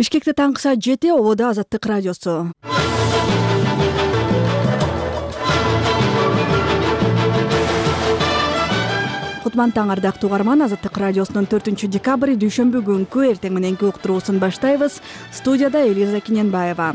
Бишкекте таңкы саат 7 ободо Азаттык радиосу. Кутман таң ардактуу угарман, Азаттык радиосунун 4-декабрь дүйшөмбү күнкү эртең мененки уктуруусун баштайбыз. Студияда Элиза Киненбаева.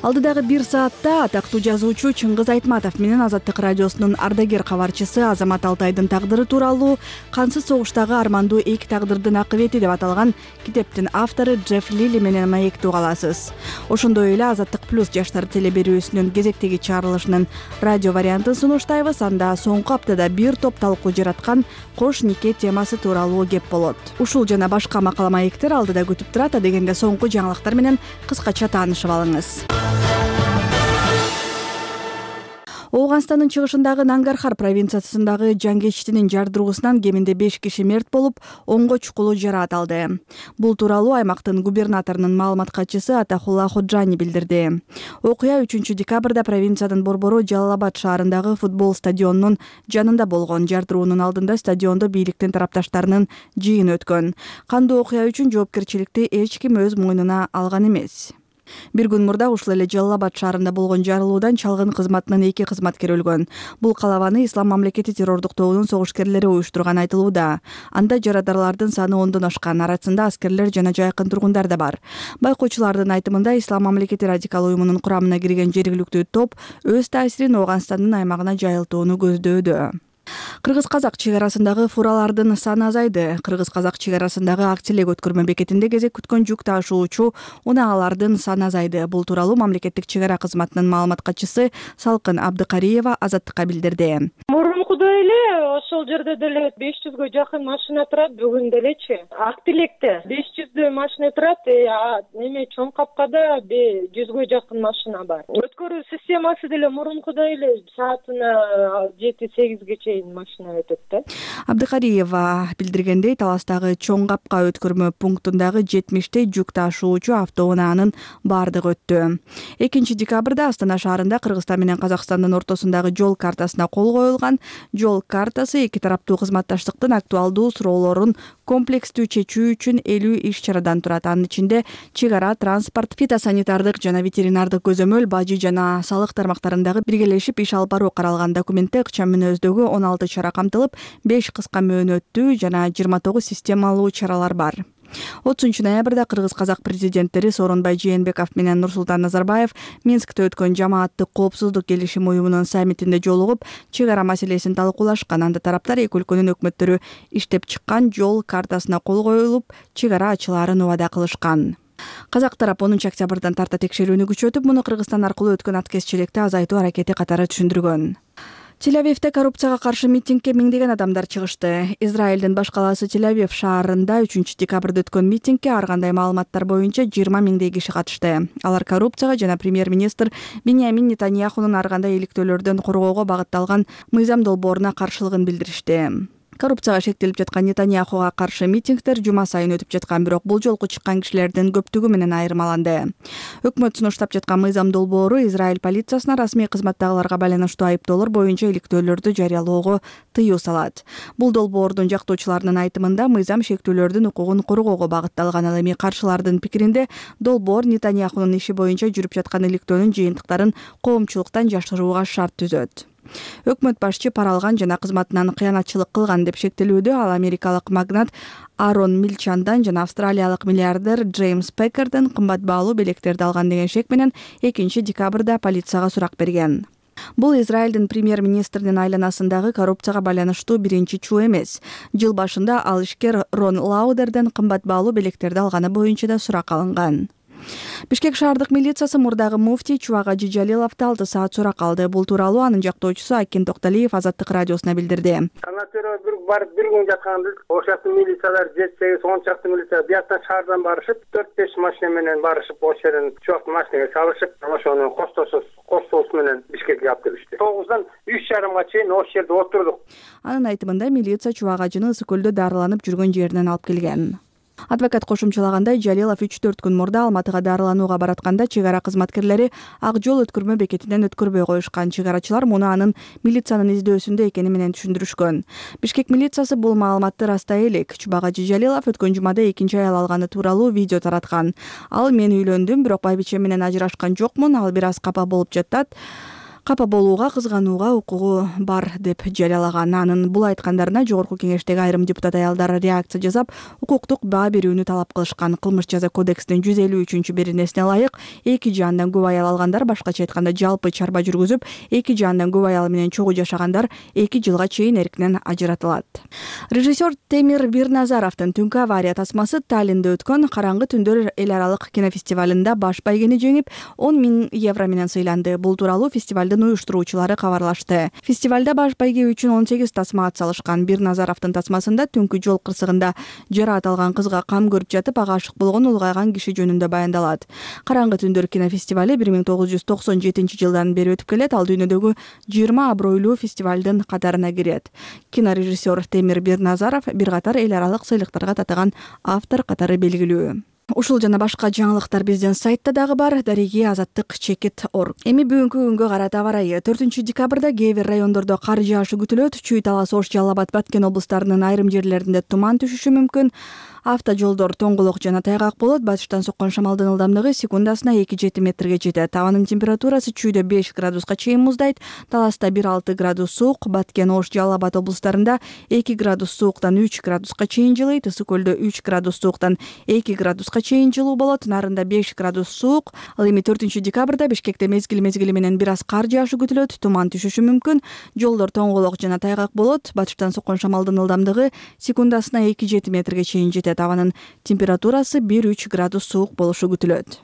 Алдыдагы 1 саатта атактуу жазуучу Чыңгыз Айтматов менен Азаттык радиосунун ардагер кабарчысы Азамат Алтайдын тагдыры тууралуу «Кансыз согуштагы армандуу эки тагдырдын акыбети» деп аталган китептин автору Джефф Лили менен маектүү каласыз. Ошондой эле Азаттык плюс жаштар теле берүүсүнүн кезектеги чыгарылышынын радио вариантын сунуштайбыз. Анда соңку аптада бир топ талкуу жараткан кош нике темасы тууралуу кеп болот. Ушул жана башка макала маектер алдыда күтүп турат. Адегенде соңку жаңылыктар менен кыскача таанышып алыңыз. Ооганстандын чыгышындагы Нангархар провинциясындагы жангечтинин жардыруусунан кеминде 5 киши мерт болуп, 10го чукулу жараат алды. Бул тууралуу аймактын губернаторунун маалымат катчысы Атахулла Ходжани билдирди. Окуя 3-декабрда провинциянын борбору Жалал-Абад шаарындагы футбол стадионунун жанында болгон. Жардыруунун алдында стадиондо бийликтин тарапташтарынын жыйыны өткөн. Кандуу окуя үчүн жоопкерчиликти эч ким өз мойнуна алган эмес. Бир күн мурда ушул эле Жалал-Абад шаарында болгон жарылуудан чалгын кызматынын 2 кызматкери өлгөн. Бул калабаны Ислам мамлекети террордук тобунун согушкерлери уюштурган айтылууда. Анда жарадарлардын саны 10дон ашкан, арасында аскерлер жана жайкын тургундар да бар. Байкоочулардын айтымында Ислам мамлекети радикал уюмунун курамына кирген жергиликтүү топ өз таасирин Ооганстандын аймагына жайылтууну көздөдө. Кыргыз-казак чек арасындагы фуралардын саны азайды. Кыргыз-казак чек арасындагы Актилек өткөрмө бекетинде кезек күткөн жүк ташуучу унаагалардын саны азайды. Бул тууралуу мамлекеттик чек ара кызматынын маалымат катчысы Салкын Абдыкариева Азаттыкка билдирди. Мурункудай эле ошол жерде деле 500гө жакын машина турат, бүгүн делечи. Актилекте 500дөй машина турат, эме чоң капкада 100гө жакын машина бар. Өткөрүү системасы деле мурункудай эле саатына 7-8ге чейин машина өтөт да. Абдыкариева билдиргендей, Таластагы чоң капка өткөрмө пунктундагы 70тей жүк ташуучу автоунаанын бардыгы өттү. 2-декабрда Астана шаарында Кыргызстан менен Казакстандын ортосундагы жол картасына кол коюлган. Жол картасы эки тараптуу кызматташтыктын актуалдуу суроолорун комплекстүү чечүү үчүн 50 иш-чарадан турат. Анын ичинде чек ара, транспорт, фитосанитардык жана ветеринардык көзөмөл, бажы жана салык тармактарындагы биргелешип иш алып баруу каралган. Документте ыкчам мүнөздөгү 16 чара камтылып, 5 кыска мөөнөттүү жана 29 системалуу чаралар бар. 30-ноябрда Кыргыз-казак президенттери Сооронбай Жээнбеков менен Нурсултан Назарбаев Минскте өткөн жамааттык коопсуздук келишим уюмунун саммитинде жолугуп, чек ара маселесин талкуулашкан. Анда тараптар эки өлкөнүн өкмөттөрү иштеп чыккан жол картасына кол коюлуп, чек ара ачылаарын убада кылышкан. Казак тарап 10-октябрдан тарта текшерүүнү күчөтүп, муну Кыргызстан аркылуу өткөн аткезчилекти азайтуу аракети катары түшүндүргөн. Тель-Авивде коррупцияга каршы митингге миңдеген адамдар чыгышты. Израилдин баш калаасы Тель-Авив шаарында 3-декабрда өткөн митингге ар кандай маалыматтар боюнча 20 миңдей киши катышты. Алар коррупцияга жана премьер-министр Биньямин Нетаньяхунун ар кандай иликтөөлөрдөн коргоого багытталган мыйзам долбооруна каршылыгын билдиришти. Коррупцияга шектелип жаткан Нетаньяхуга каршы митингдер жума сайын өтүп жаткан, бирок бул жолку чыккан кишилердин көптүгү менен айырмаланды. Өкмөт сунуштап жаткан мыйзам долбоору Израиль полициясына расмий кызматтагыларга байланыштуу айыптоолор боюнча иликтөөлөрдү жарыялоого тыюу салат. Бул долбоордун жактоочуларынын айтымында мыйзам шектүүлөрдүн укугун коргоого багытталган. Ал эми каршылардын пикиринде долбоор Нетаньяхунун иши боюнча жүрүп жаткан иликтөөнүн жыйынтыктарын коомчулуктан жашырууга шарт түзөт. Өкмөт башчы пара алган жана кызматынан кыянатчылык кылган деп шектелүүдө. Ал америкалык магнат Арон Милчандан жана австралиялык миллиардер Джеймс Пекерден кымбат баалуу белектерди алган деген шек менен 2-декабрда полицияга сурак берген. Бул Израилдин премьер-министринин айланасындагы коррупцияга байланыштуу биринчи чуу эмес. Жыл башында ал ишкер Рон Лаудерден кымбат баалуу белектерди алганы боюнча да сурак алынган. Бишкек шаардык милициясы мурдагы муфтий Чубак Жижалиловду 6 саат сурак алды. Бул тууралуу анын жактоочусу Акин Токталиев Азаттык радиосуна билдирди. Барып бир күн жатканда ошол милициялар 7-8 чакты милиция бияктан шаардан барышып, 4-5 машина менен барышып, ошол жерден Чубактын машинага салышып, ошону коштосу менен Бишкекке алып келишти. 9дан 3:30га чейин ошол жерде отурдук. Анын айтымында милиция Чубак ажыны Ысык көлдө дарыланып жүргөн жеринен алып келген. Адвокат кошумчалагандай, Жалилов 3-4 күн мурда Алматыга дарыланууга баратканда чек ара кызматкерлери ак жол өткөрмө бекетинен өткөрбөй коюшкан. Чек арачылар муну анын милициянын издөөсүндө экени менен түшүндүрүшкөн. Бишкек милициясы бул маалыматты растай элек. Чубагачы Жалилов өткөн жумада экинчи аял алганы тууралуу видео тараткан. Ал: "Мен үйлөндүм, бирок байбичем менен ажырашкан жокмун. Ал бир аз капа болуп жатат. Капа болууга, кызганууга укугу бар" деп жарыялаган. Анын бул айткандарына жогорку кеңештеги айрым депутат аялдар реакция жасап, укуктук баа берүүнү талап кылышкан. Кылмыш жаза кодексинин 153 беренесине ылайык эки жандан көп аял алгандар, башкача айтканда жалпы чарба жүргүзүп, эки жандан көп аял менен чогуу жашагандар 2 жылга чейин эркинен ажыратылат. Режиссер Темир Бирназаровдун Түнкү авария тасмасы Таллинде өткөн Караңгы түндөр эл аралык кинофестивалында баш байгени жеңип, 10 000 евро менен сыйланды. Бул тууралуу фестивалдын уюштуруучулары кабарлашты. Фестивалда баш байге үчүн 18 тасма атсалышкан. Бирназаровдун тасмасында Түнкү жол кырсыгында жараат алган кызга кам көрүп жатып, ага ашык болгон улгайган киши жөнүндө баяндалат. Караңгы түндөр кинофестивали 1997 жылдан бери өтүп келет. Ал дүйнөдөгү 20 абройлуу фестивалдын катарына кирет. Кинорежиссер Темир Бирназаров бир катар эл аралык сыйлыктарга татыган автор катары белгилүү. Ушул жана башка жаңылыктар биздин сайтта дагы бар. Дареги азаттык.org. Эми бүгүнкү күнгө карата аба ырайы. 4 декабрда кээ бир райондордо кар жаашы күтүлөт. Чүй, Талас, Ош, Жалал Абад, Баткен облустарынын айрым жерлеринде туман түшүшү мүмкүн. Автожолдор тоңголок жана тайгак болот. Батыштан соккон шамалдын ылдамдыгы секундасына 2-7 метрге жетет. Абанын температурасы чүйдө 5 градуска чейин муздайт. Таласта 1-6 градус суук, Баткен, Ош, Жалал Абад облустарында 2 градус сууктан 3 градуска чейин жылыйт. Ысык көлдө 3 градус сууктан 2 градуска чейин жылуу болот. Нарында 5 градус суук. Ал эми 4 декабрда Бишкекте мезгили менен бир аз кар жаашы күтүлөт. Туман түшүшү мүмкүн. Жолдор тоңголок жана тайгак болот. Батыштан соккон шамалдын ылдамдыгы секундасына 2-7 метрге чейин жетет. Абанын температурасы 1-3 градус суук болушу күтүлөт.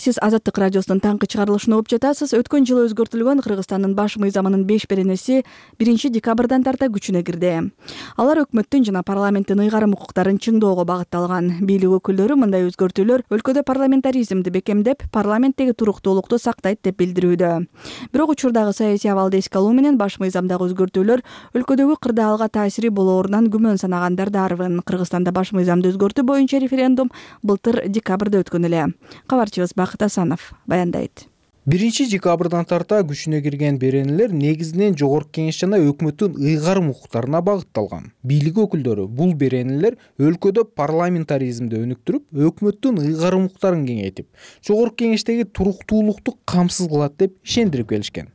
Сиз Азаттык радиосунун таңкы чыгарылышын угуп жатасыз. Өткөн жылы өзгөртүлгөн Кыргызстандын баш мыйзамынын 5 беренеси 1 декабрдан тарта күчүнө кирди. Алар өкмөттүн жана парламенттин ыйгарым укуктарын чыңдоого багытталган. Бийлик өкүлдөрү мындай өзгөртүүлөр өлкөдө парламентаризмди бекемдеп, парламенттеги туруктуулукту сактайт деп билдирүүдө. Бирок учурдагы саясий абалды эске алуу менен баш мыйзамдагы өзгөртүүлөр өлкөдөгү кырдаалга таасири болоорунан күмөн санагандар да арбын. Кыргызстанда баш мыйзамды өзгөртүү боюнча референдум былтыр декабрда өткөн эле. Кабарчыбыз Асанов баяндайт. 1 декабрдан тарта күчүнө кирген беренелер негизинен жогорку кеңеш жана өкмөттүн ыйгарым укуктарына багытталган. Бийлик өкүлдөрү бул беренелер өлкөдө парламентаризмди өнүктүрүп, өкмөттүн ыйгарым укуктарын кеңейтип, жогорку кеңештеги туруктуулукту камсыз кылат деп ишендирип келишкен.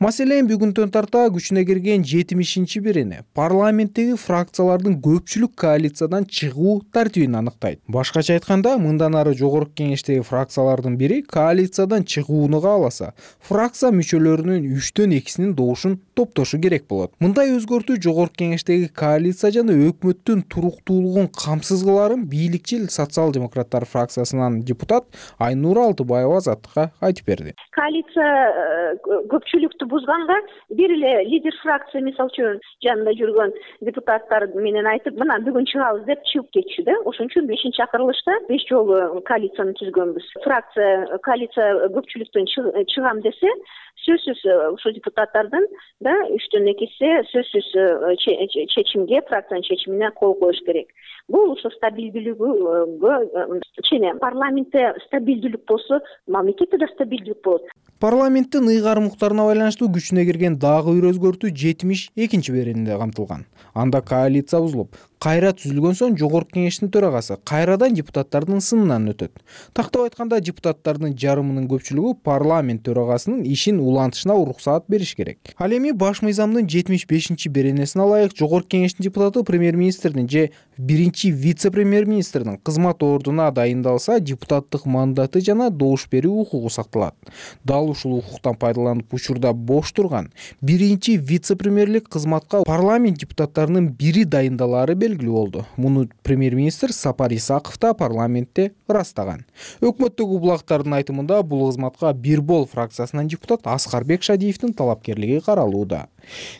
Маселен, бүгүндөн тарта күчүнө кирген 70 берене парламенттеги фракциялардын көпчүлүк коалициядан чыгуу тартибин аныктайт. Башкача айтканда, мындан ары жогорку кеңештеги фракциялардын бири коалициядан чыгууну кааласа, фракция мүчөлөрүнүн 3-төн 2-синин добушун топтошу керек болот. Мындай өзгөртүү жогорку кеңештеги коалиция жана өкмөттүн туруктуулугун камсыз кыларын бийликчил социал-демократтар фракциясынан депутат Айнура Алтыбаева Азаттыкка айтып берди. Коалиция көпчүлүктү бузганга бир эле лидер фракция мисалы үчүн жанында жүргөн депутаттар менен айтып, мына бүгүн чыгабыз деп чыгып кетчү да. Ошон үчүн 5-чакырылышта 5 жолу коалицияны түзгөнбүз. Коалиция көпчүлүктөн чыгам десе, сөзсүз ушул депутаттардын да 3-төн 2-си сөзсүз чечимге, фракциянын чечимине кол коюш керек. Бул ошо стабилдүүлүгүгө чейин парламентте стабилдүүлүк болсо, мамлекетте да стабилдүүлүк болот. Парламенттин ыйгарым укуктарына байланыштуу күчүнө кирген дагы бир өзгөртүү 72 беренеде камтылган. Анда коалиция бузулуп, кайра түзүлгөн соң жогорку кеңештин төрагасы кайрадан депутаттардын сынынан өтөт. Тактап айтканда, депутаттардын жарымынын көпчүлүгү парламент төрагасынын ишин улантышына уруксаат бериш керек. Ал эми баш мыйзамдын 75 беренесине ылайык жогорку кеңештин депутаты премьер-министрдин же биринчи вице-премьер-министрдин кызмат ордуна дайындалса, депутаттык мандаты жана добуш берүү укугу сакталат. Дал ушул укуктан пайдаланып учурда бош турган биринчи вице-премьерлик кызматка парламент депутаттарынын бири дайындалары белгилүү болду. Муну премьер-министр Сапар Исаков да парламентте ырастаган. Өкмөттөгү булактардын айтымында бул кызматка Бирбол фракциясынан депутат Аскарбек Шадиевдин талапкерлиги каралууда.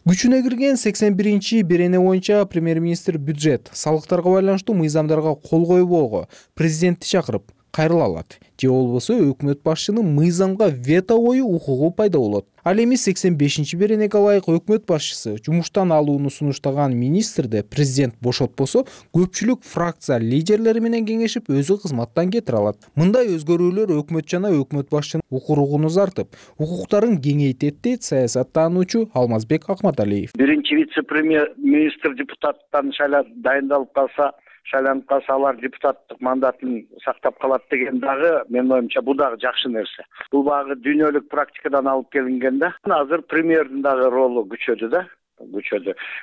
Күчүнө кирген 81 берене боюнча премьер-министр бюджет, салыктарга байланыштуу мыйзамдарга кол койбоого, президентти чакырып, кайрыла алат же болбосо өкмөт башчынын мыйзамга вето коюу укугу пайда болот. Ал эми 85-беренеге ылайык өкмөт башчысы жумуштан алууну сунуштаган министрди президент бошотпосо көпчүлүк фракция лидерлери менен кеңешип өзү кызматтан кетире алат. Мындай өзгөрүүлөр өкмөт жана өкмөт башчынын укугун узартып, укуктарын кеңейтет дейт саясаттануучу Алмазбек Акматалиев. Биринчи вице-премьер-министр депутаттан дайындалып калса, шайланып калса, алар депутаттык мандатын сактап калат деген дагы менин оюмча бул дагы жакшы нерсе. Бул багы дүйнөлүк практикадан алып келинген да. Азыр премьердин дагы ролу күчөдү.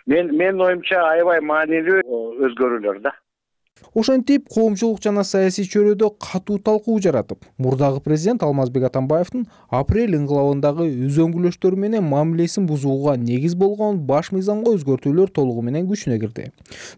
Менин оюмча аябай маанилүү өзгөрүүлөр да. Ошентип коомчулук жана саясий чөйрөдө катуу талкуу жаратып, мурдагы президент Алмазбек Атамбаевдин апрель инкылабындагы өзөңгүлөштөрү менен мамилесин бузууга негиз болгон баш мыйзамга өзгөртүүлөр толугу менен күчүнө кирди.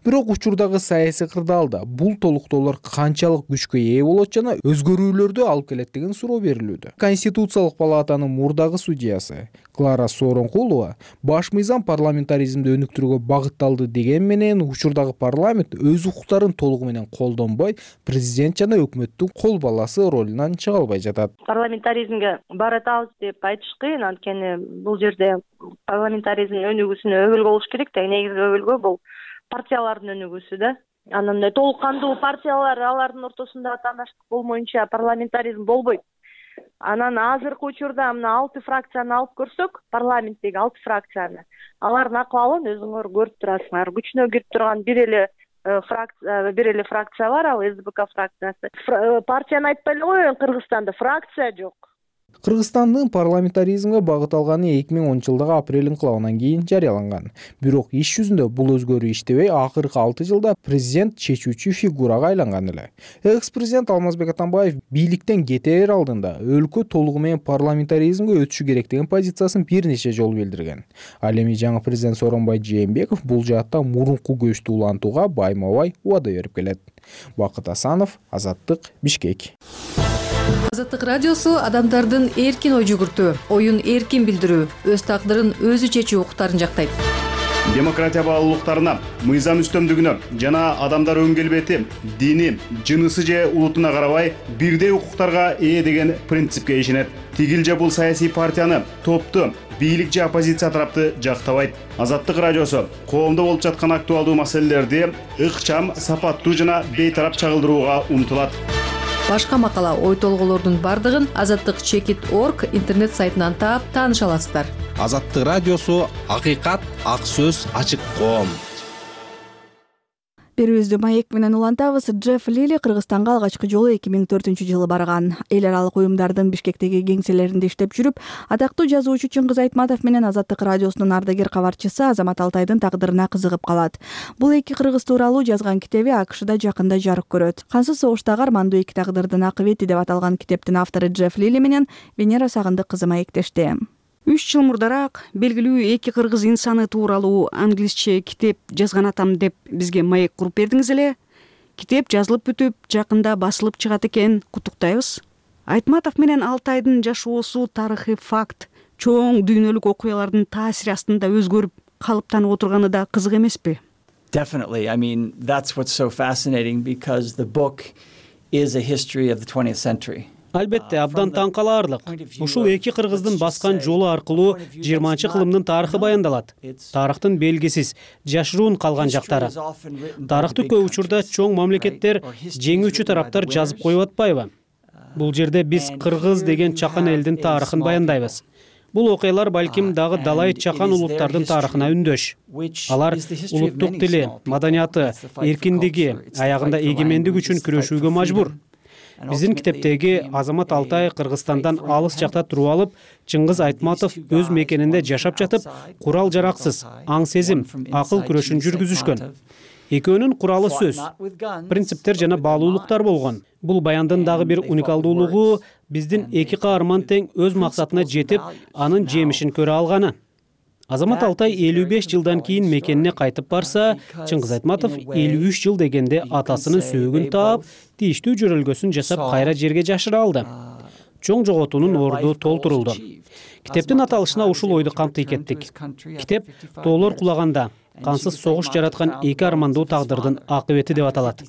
Бирок учурдагы саясий кырдаалда бул толуктоолор канчалык күчкө ээ болот жана өзгөрүүлөрдү алып келет деген суроо берилүүдө. Конституциялык палатанын мурдагы судьясы Клара Сооронкулова баш мыйзам парламентаризмди өнүктүрүүгө багытталды деген менен учурдагы парламент өз укуктарын толугу менен колдонбой, президент жана өкмөттүн кол баласы ролунан чыга албай жатат. Парламентаризмге баратабыз деп айтыш кыйын, анткени бул жерде парламентаризмдин өнүгүүсүнө өбөлгө болуш керек да. Негизги өбөлгө бул партиялардын өнүгүүсү да. Анан толук кандуу партиялар, алардын ортосунда атаандаштык болмоюнча парламентаризм болбойт. Анан азыркы учурда мына 6 фракцияны алып көрсөк, парламенттеги 6 фракцияны, алардын акыбалын өзүңөр көрүп турасыңар. Күчүнө кирип турган бир эле фракция бар, ал СБК фракциясы. Партияны айтпай эле коеюн, Кыргызстанда фракция жок. Кыргызстандын парламентаризмге багыт алганы 2010-жылдагы апрель инкылабынан кийин жарыяланган. Бирок иш жүзүндө бул өзгөрүү иштебей, акыркы 6 жылда президент чечүүчү фигурага айланган эле. Экс-президент Алмазбек Атамбаев бийликтен кетер алдында өлкө толугу менен парламентаризмге өтүшү керек деген позициясын бир нече жолу билдирген. Ал эми жаңы президент Сооронбай Жээнбеков бул жаатта мурунку көчтү улантууга байма-бай убада берип келет. Бакыт Асанов, Азаттык, Бишкек. Азаттык радиосу адамдардын эркин ой жүгүртүү, оюн эркин билдирүү, өз тагдырын өзү чечүү укуктарын жактайт. Демократия баалуулуктарына, мыйзам үстөмдүгүнө жана адамдар өн келбети, дини, жынысы же улутуна карабай бирдей укуктарга ээ деген принципке ишенет. Тигил же бул саясий партияны, топту, бийлик же оппозиция тарапты жактабайт. Азаттык радиосу коомдо болуп жаткан актуалдуу маселелерди ыкчам, сапаттуу жана бейтарап чагылдырууга умтулат. Башка макала, ой толголордун бардыгын azattik.org интернет сайтынан таап тааныша аласыздар. Азаттык радиосу акыйкат, ак сөз, ачык коом. Берүүбүздү маек менен улантабыз. Джефф Лили Кыргызстанга алгачкы жолу 2004-жылы барган. Эл аралык уюмдардын Бишкектеги кеңселеринде иштеп жүрүп, атактуу жазуучу Чыңгыз Айтматов менен Азаттык радиосунун ардагер кабарчысы Азамат Алтайдын тагдырына кызыгып калат. Бул эки кыргыз тууралуу жазган китеби АКШда жакында жарык көрөт. Кансыз согуштагы армандуу эки тагдырдын акыбети деп аталган китептин автору Джефф Лили менен Венера Сагындык кызы маектешти. 3 жыл мурдараак белгилүү эки кыргыз инсаны тууралуу англисче китеп жазган атам деп бизге маек куруп бердиңиз эле. Китеп жазылып бүтүп, жакында басылып чыгат экен, куттуктайбыз. Айтматов менен Алтайдын жашоосу тарыхый факт, чоң дүйнөлүк окуялардын таасири астында өзгөрүп, калыптанып отурганы да кызык эмеспи? Definitely. I mean, that's what's so fascinating because the book is a history of the 20th century. Албетте, абдан таң калаарлык. Ушул эки кыргыздын баскан жолу аркылуу 20-кылымдын тарыхы баяндалат. Тарыхтын белгисиз, жашыруун калган жактары. Тарыхты көп учурда чоң мамлекеттер, жеңүүчү тараптар жазып коюп атпайбы? Бул жерде биз кыргыз деген чакан элдин тарыхын баяндайбыз. Бул окуялар балким дагы далай чакан улуттардын тарыхына үндөш. Алар улуттук тили, маданияты, эркиндиги, аягында эгемендик үчүн күрөшүүгө мажбур. Биздин китептеги Азамат Алтай Кыргызстандан алыс жакта туруп алып, Чыңгыз Айтматов өз мекенинде жашап жатып, курал жараксыз, аң сезим, акыл күрөшүн жүргүзүшкөн. Экөөнүн куралы сөз, принциптер жана баалуулуктар болгон. Бул баяндын дагы бир уникалдуулугу биздин эки каарман тең өз максатына жетип, анын жемишин көрө алганы. Азамат Алтай 55 жылдан кийин мекенине кайтып барса, Чыңгыз Айтматов 53 жыл дегенде атасынын сөөгүн таап, тийиштүү жөрөлгөсүн жасап кайра жерге жашыра алды. чоң жоготуунун орду толтурулду. Китептин аталышына ушул ойду камтый кеттик. Китеп тоолор кулаганда кансыз согуш жараткан эки армандуу тагдырдын акыбети деп аталат.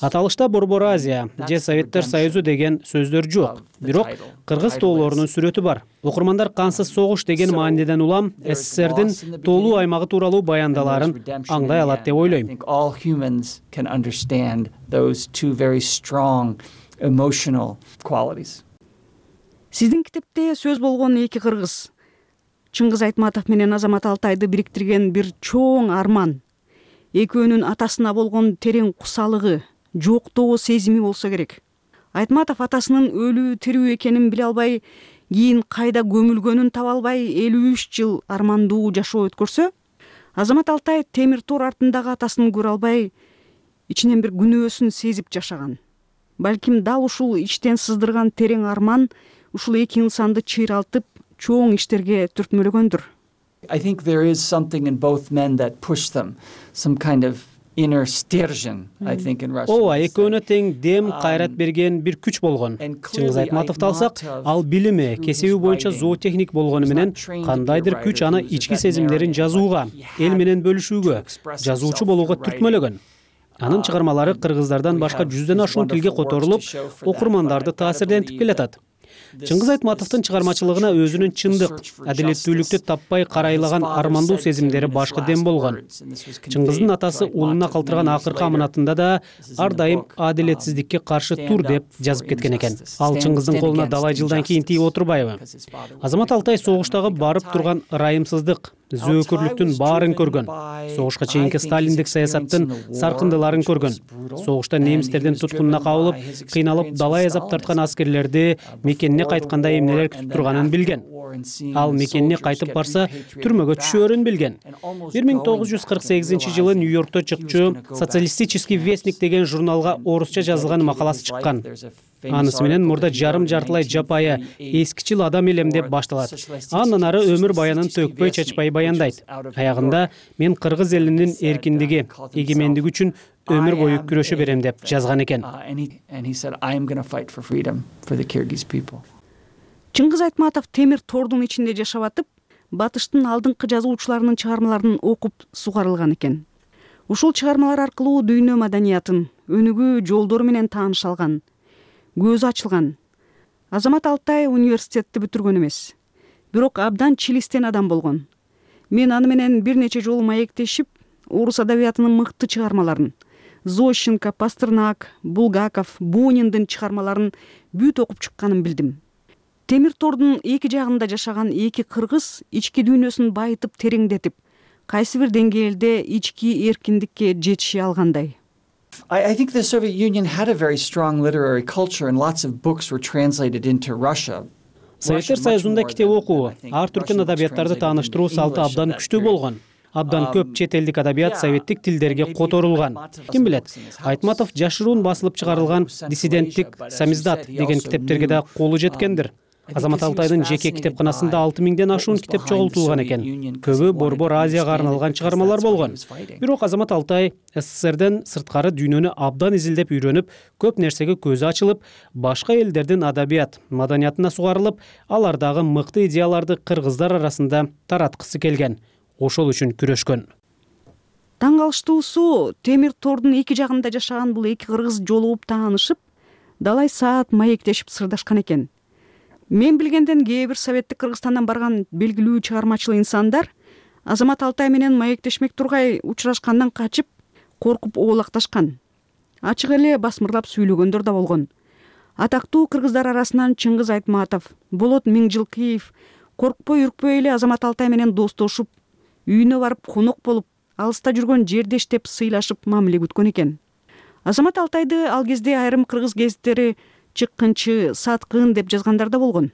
Аталышта Борбор Азия же Советтер Союзу деген сөздөр жок, бирок кыргыз тоолорунун сүрөтү бар. Окурмандар кансыз согуш деген мааниден улам СССРдин тоолуу аймагы тууралуу баяндаларын аңдай алат деп ойлойм. Сиздин китепте сөз болгон эки кыргыз, Чыңгыз Айтматов менен Азамат Алтайды бириктирген бир чоң арман, экөөнүн атасына болгон терең кусалыгы, жоктоо сезими болсо керек. Айтматов атасынын өлүү тирүү экенин биле албай, кийин кайда көмүлгөнүн таба албай 53 жыл армандуу жашоо өткөрсө, Азамат Алтай темир тор артындагы атасын көрө албай, ичинен бир күнөөсүн сезип жашаган. Балким дал ушул ичтен сыздырган терең арман ушул эки инсанды чыйралтып, чоң иштерге түртмөлөгөндүр. I think there is something in both men that push them, some kind of inner stержень, I think in Russian. Ооба, экөөнө тең дем, кайрат берген бир күч болгон. Чыңгыз Айтматовду алсак, ал билими, кесиби боюнча зоотехник болгону менен кандайдыр күч аны ички сезимдерин жазууга, эл менен бөлүшүүгө, жазуучу болууга түртмөлөгөн. Анын чыгармалары кыргыздардан башка 100дөн ашуун тилге которулуп, окурмандарды таасирдентип келатат. Чыңгыз Айтматовдун чыгармачылыгына өзүнүн чындык, адилеттүүлүктү таппай карайлаган армандуу сезимдери башкы дем болгон. Чыңгыздын атасы уулуна калтырган акыркы аманатында да ар дайым адилетсиздикке каршы тур деп жазып кеткен экен. Ал Чыңгыздын колуна далай жылдан кийин тийип отурбайбы? Азамат Алтай согуштагы барып турган ырайымсыздык, зөөкүрлүктүн баарын көргөн. Согушка чейинки сталиндик саясаттын саркындыларын көргөн. Согушта немистердин туткунуна кабылып, кыйналып далай азап тарткан аскерлерди мекенине кайтканда эмнелер күтүп турганын билген. Ал мекенине кайтып барса, түрмөгө түшөөрүн билген. 1948 жылы Нью-Йоркто чыкчу «Социалистический вестник» деген журналга орусча жазылган макаласы чыккан. Анысы менен мурда жарым-жартылай жапайы, эскичил адам элем деп башталат. Андан ары өмүр баянын төкпөй чачпай баяндайт. Аягында мен кыргыз элинин эркиндиги, эгемендиги үчүн өмүр бою күрөшө берем деп жазган экен. Чыңгыз Айтматов темир тордун ичинде жашап атып, батыштын алдыңкы жазуучуларынын чыгармаларын окуп сугарылган экен. Ушул чыгармалар аркылуу дүйнө маданиятын, өнүгүү жолдору менен тааныша алган, көзү ачылган. Азамат Алтай университетти бүтүргөн эмес, бирок абдан чилистен адам болгон. Мен аны менен бир нече жолу маектешип, орус адабиятынын мыкты чыгармаларын, Зощенко, Пастернак, Булгаков, Буниндин чыгармаларын бүт окуп чыкканын билдим. Темир тордун эки жагында жашаган эки кыргыз ички дүйнөсүн байытып тереңдетип, кайсы бир деңгээлде ички эркиндикке жетиши алгандай. I think the Soviet Union had a very strong literary culture and lots of books were translated into Russia. Советтер Союзунда китеп окуу, ар түркүн адабияттарды тааныштыруу салты абдан күчтүү болгон. Абдан көп чет элдик адабият советтик тилдерге которулган. Ким билет, Айтматов жашыруун басылып чыгарылган «Диссиденттик самиздат» деген китептерге да колу жеткендир. Азамат Алтайдын жеке китепканасында 6000ден ашуун китеп чогултулган экен. Көбү Борбор Азияга арналган чыгармалар болгон. Бирок Азамат Алтай СССРден сырткары дүйнөнү абдан изилдеп үйрөнүп, көп нерсеге көзү ачылып, башка элдердин адабият, маданиятына сугарылып, алардагы мыкты идеяларды кыргыздар арасында тараткысы келген. Ошол үчүн күрөшкөн. Таң калыштуусу, темир тордун эки жагында жашаган бул эки кыргыз жолугуп таанышып, далай саат маектешип сырдашкан экен. Мен билгенден кээ бир советтик Кыргызстандан барган белгилүү чыгармачыл инсандар Азамат Алтай менен маектешмек тургай учурашкандан качып, коркуп оолакташкан. Ачык эле басмырлап сүйлөгөндөр да болгон. Атактуу кыргыздар арасынан Чыңгыз Айтматов, Болот Миңжилкиев коркпой үркпөй эле Азамат Алтай менен достошуп, үйүнө барып конок болуп, алыста жүргөн жердештеп сыйлашып мамиле күткөн экен. Азамат Алтайды ал кезде айрым кыргыз гезиттери чыккынчы, саткын деп жазгандар да болгон.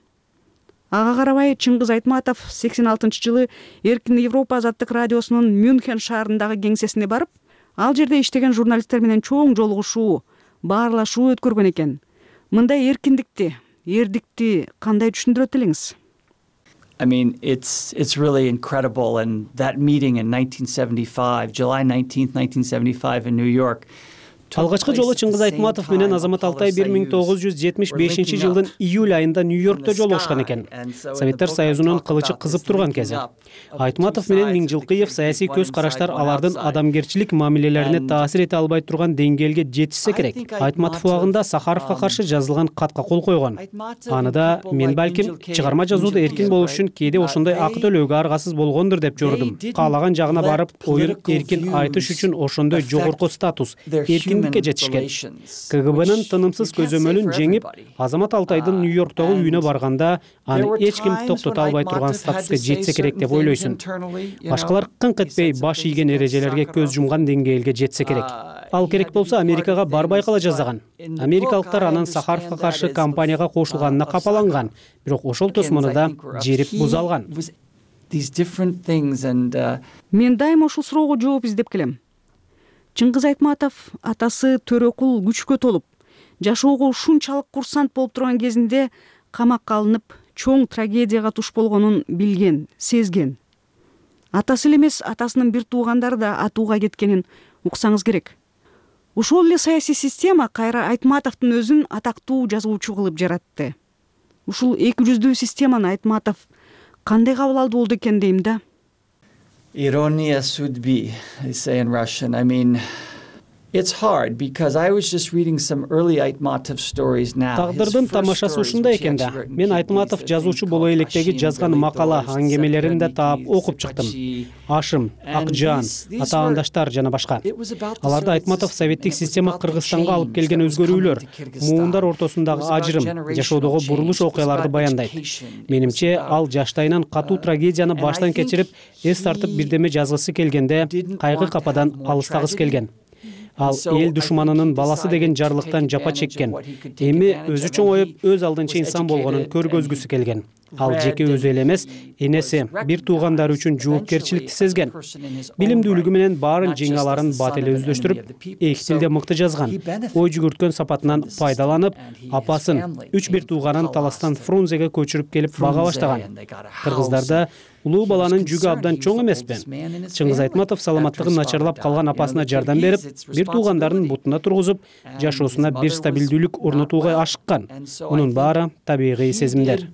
Ага карабай Чыңгыз Айтматов 86-жылы Эркин Европа азаттык радиосунун Мюнхен шаарындагы кеңсесине барып, ал жерде иштеген журналисттер менен чоң жолугушуу, баарлашуу өткөргөн экен. Мындай эркиндикти, эрдикти кандай түшүндүрөт элеңиз? I mean, it's really incredible, and that meeting in 1975, July 19th, 1975 in New York, Алгачкы жолу Чыңгыз Айтматов менен Азамат Алтай 1975 жылдын июль айында Нью-Йоркто жолугушкан экен. Советтер Союзунун кылычы кызып турган кези. Айтматов менен Миңжилкыев саясий көз караштар алардын адамгерчилик мамилелерине таасир эте албай турган деңгээлге жетишсе керек. Айтматов убагында Сахаровго каршы жазылган катка кол койгон. Аныда мен балким чыгарма жазууда эркин болуш үчүн кээде ошондой акы төлөөгө аргасыз болгондур деп жордум. Каалаган жагына барып, оюн эркин айтыш үчүн ошондой жогорку статус, эркиндикке жетишкен. КГБнын тынымсыз көзөмөлүн жеңип, Азамат Алтайдын Нью-Йорктогу үйүнө барганда аны эч ким токтото албай турган статуска жетсе керек деп ойлойсуң. Башкалар кыңк этпей баш ийген эрежелерге көз жумган деңгээлге жетсе керек. Ал керек болсо Америкага барбай кала жаздаган. Америкалыктар анын Сахаровго каршы кампанияга кошулганына капаланган, бирок ошол тосмону жерип буза алган. Мен дайыма ушул суроого жооп издеп келем. Чыңгыз Айтматов атасы Төрөкул күчкө толуп, жашоого ушунчалык курсант болуп турган кезинде камакка алынып, чоң трагедияга туш болгонун билген, сезген. Атасы эле эмес, атасынын бир туугандары да атууга кеткенин уксаңыз керек. Ушул эле саясий система кайра Айтматовдун өзүн атактуу жазуучу кылып жаратты. Ушул эки жүздүү системаны Айтматов кандай кабыл алды болду экен дейм да. Ирония судьбы, they say in Russian. I mean, it's hard because I was just reading some early Айтматов stories now. Тагдырдын тамашасы ушундай экен да. Мен Айтматов жазуучу боло электеги жазган макала, аңгемелерин да таап окуп чыктым. Ашым, Акжан, Атаандаштар жана башка. Аларда Айтматов советтик система Кыргызстанга алып келген өзгөрүүлөр, муундар ортосундагы ажырым, жашоодогу бурулуш окуяларды баяндайт. Менимче, ал жаштайынан катуу трагедияны баштан кечирип, эс тартып бирдеме жазгысы келгенде, кайгы кападан алыстагысы келген. Ал эл душманынын баласы деген жарлыктан жапа чеккен. Эми өзү чоңоюп, өз алдынча инсан болгонун көргөзгүсү келген. Ал жеке өзү эле эмес, энеси, бир туугандары үчүн жоопкерчиликти сезген. Билимдүүлүгү менен баарын жеңе аларын бат эле өздөштүрүп, эки тилде мыкты жазган. Ой жүгүрткөн сапатынан пайдаланып, апасын, 3 тууганын Таластан Фрунзеге көчүрүп келип бага баштаган. Кыргыздарда улуу баланын жүгү абдан чоң эмеспи? Чыңгыз Айтматов саламаттыгы начарлап калган апасына жардам берип, бир туугандарын бутуна тургузуп, жашоосуна бир стабилдүүлүк орнотууга ашыккан. Мунун баары табигый сезимдер.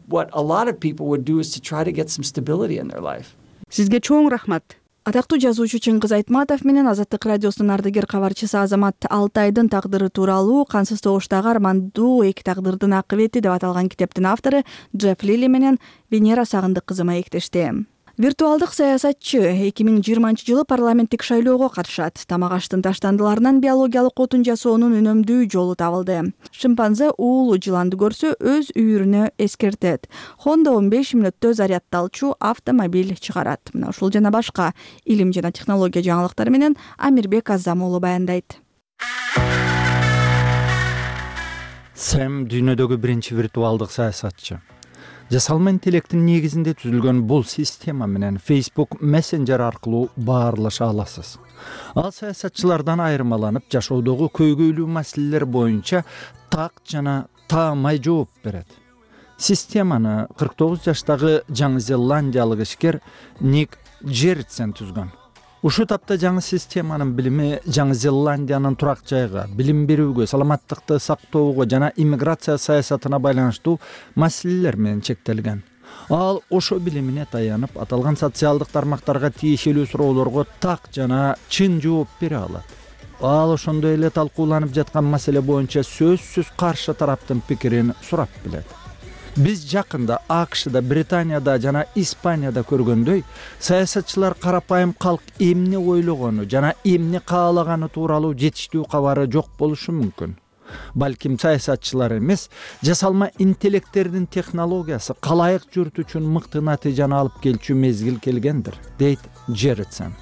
Сизге чоң рахмат. Атактуу жазуучу Чыңгыз Айтматов менен Азаттык радиосунун ардагер кабарчысы Азамат Алтайдын тагдыры тууралуу кансыз тогуштагы армандуу эки тагдырдын акыбети деп аталган китептин автору Джефф Лили менен Венера Сагындык кызы маектешти. Виртуалдык саясатчы 2020 жылы парламенттик шайлоого катышат. Тамак аштын таштандыларынан биологиялык отун жасоонун үнөмдүү жолу табылды. Шимпанзе уулу жыланды көрсө өз үйүрүнө эскертет. Honda 15 мүнөттө зарядталчу автомобиль чыгарат. Мына ушул жана башка илим жана технология жаңылыктары менен Амирбек Азам уулу баяндайт. Сэм дүйнөдөгү биринчи виртуалдык саясатчы. Жасалма интеллекттин негизинде түзүлгөн бул система менен Facebook Messenger аркылуу баарлаша аласыз. Ал саясатчылардан айырмаланып, жашоодогу көйгөйлүү маселелер боюнча так жана таамай жооп берет. Системаны 49 жаштагы Жаңы Зеландиялык ишкер Ник Джерритсен түзгөн. Ушу тапта жаңы системанын билими Жаңы Зеландиянын турак жайга, билим берүүгө, саламаттыкты сактоого жана иммиграция саясатына байланыштуу маселелер менен чектелген. Ал ошо билимине таянып, аталган социалдык тармактарга тиешелүү суроолорго так жана чын жооп бере алат. Ал ошондой эле талкууланып жаткан маселе боюнча сөзсүз каршы тараптын пикирин сурап билет. Биз жакында АКШда, Британияда жана Испанияда көргөндөй, саясатчылар карапайым калк эмне ойлогону жана эмне каалаганы тууралуу жетиштүү кабары жок болушу мүмкүн. Балким саясатчылар эмес, жасалма интеллекттердин технологиясы калайык журт үчүн мыкты натыйжаны алып келчү мезгил келгендир, дейт Джерритсен.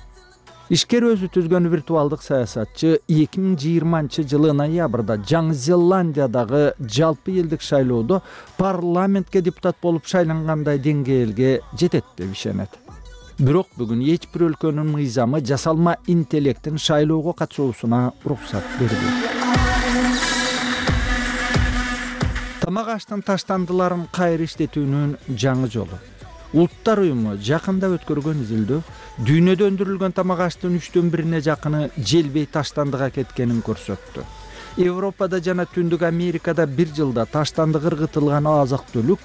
Ишкер өзү түзгөн виртуалдык саясатчы 2020 жылы ноябрда Жаңы Зеландиядагы жалпы элдик шайлоодо парламентке депутат болуп шайлангандай деңгээлге жетет деп ишенет. Бирок бүгүн эч бир өлкөнүн мыйзамы жасалма интеллекттин шайлоого катышуусуна уруксат бербейт. Тамак аштын таштандыларын кайра иштетүүнүн жаңы жолу. Улуттар уюму жакында өткөргөн изилдөө дүйнөдө өндүрүлгөн тамак аштын 1/3 жакыны желбей таштандыга кеткенин көрсөттү. Европада жана Түндүк Америкада бир жылда таштандык ыргытылган азык-түлүк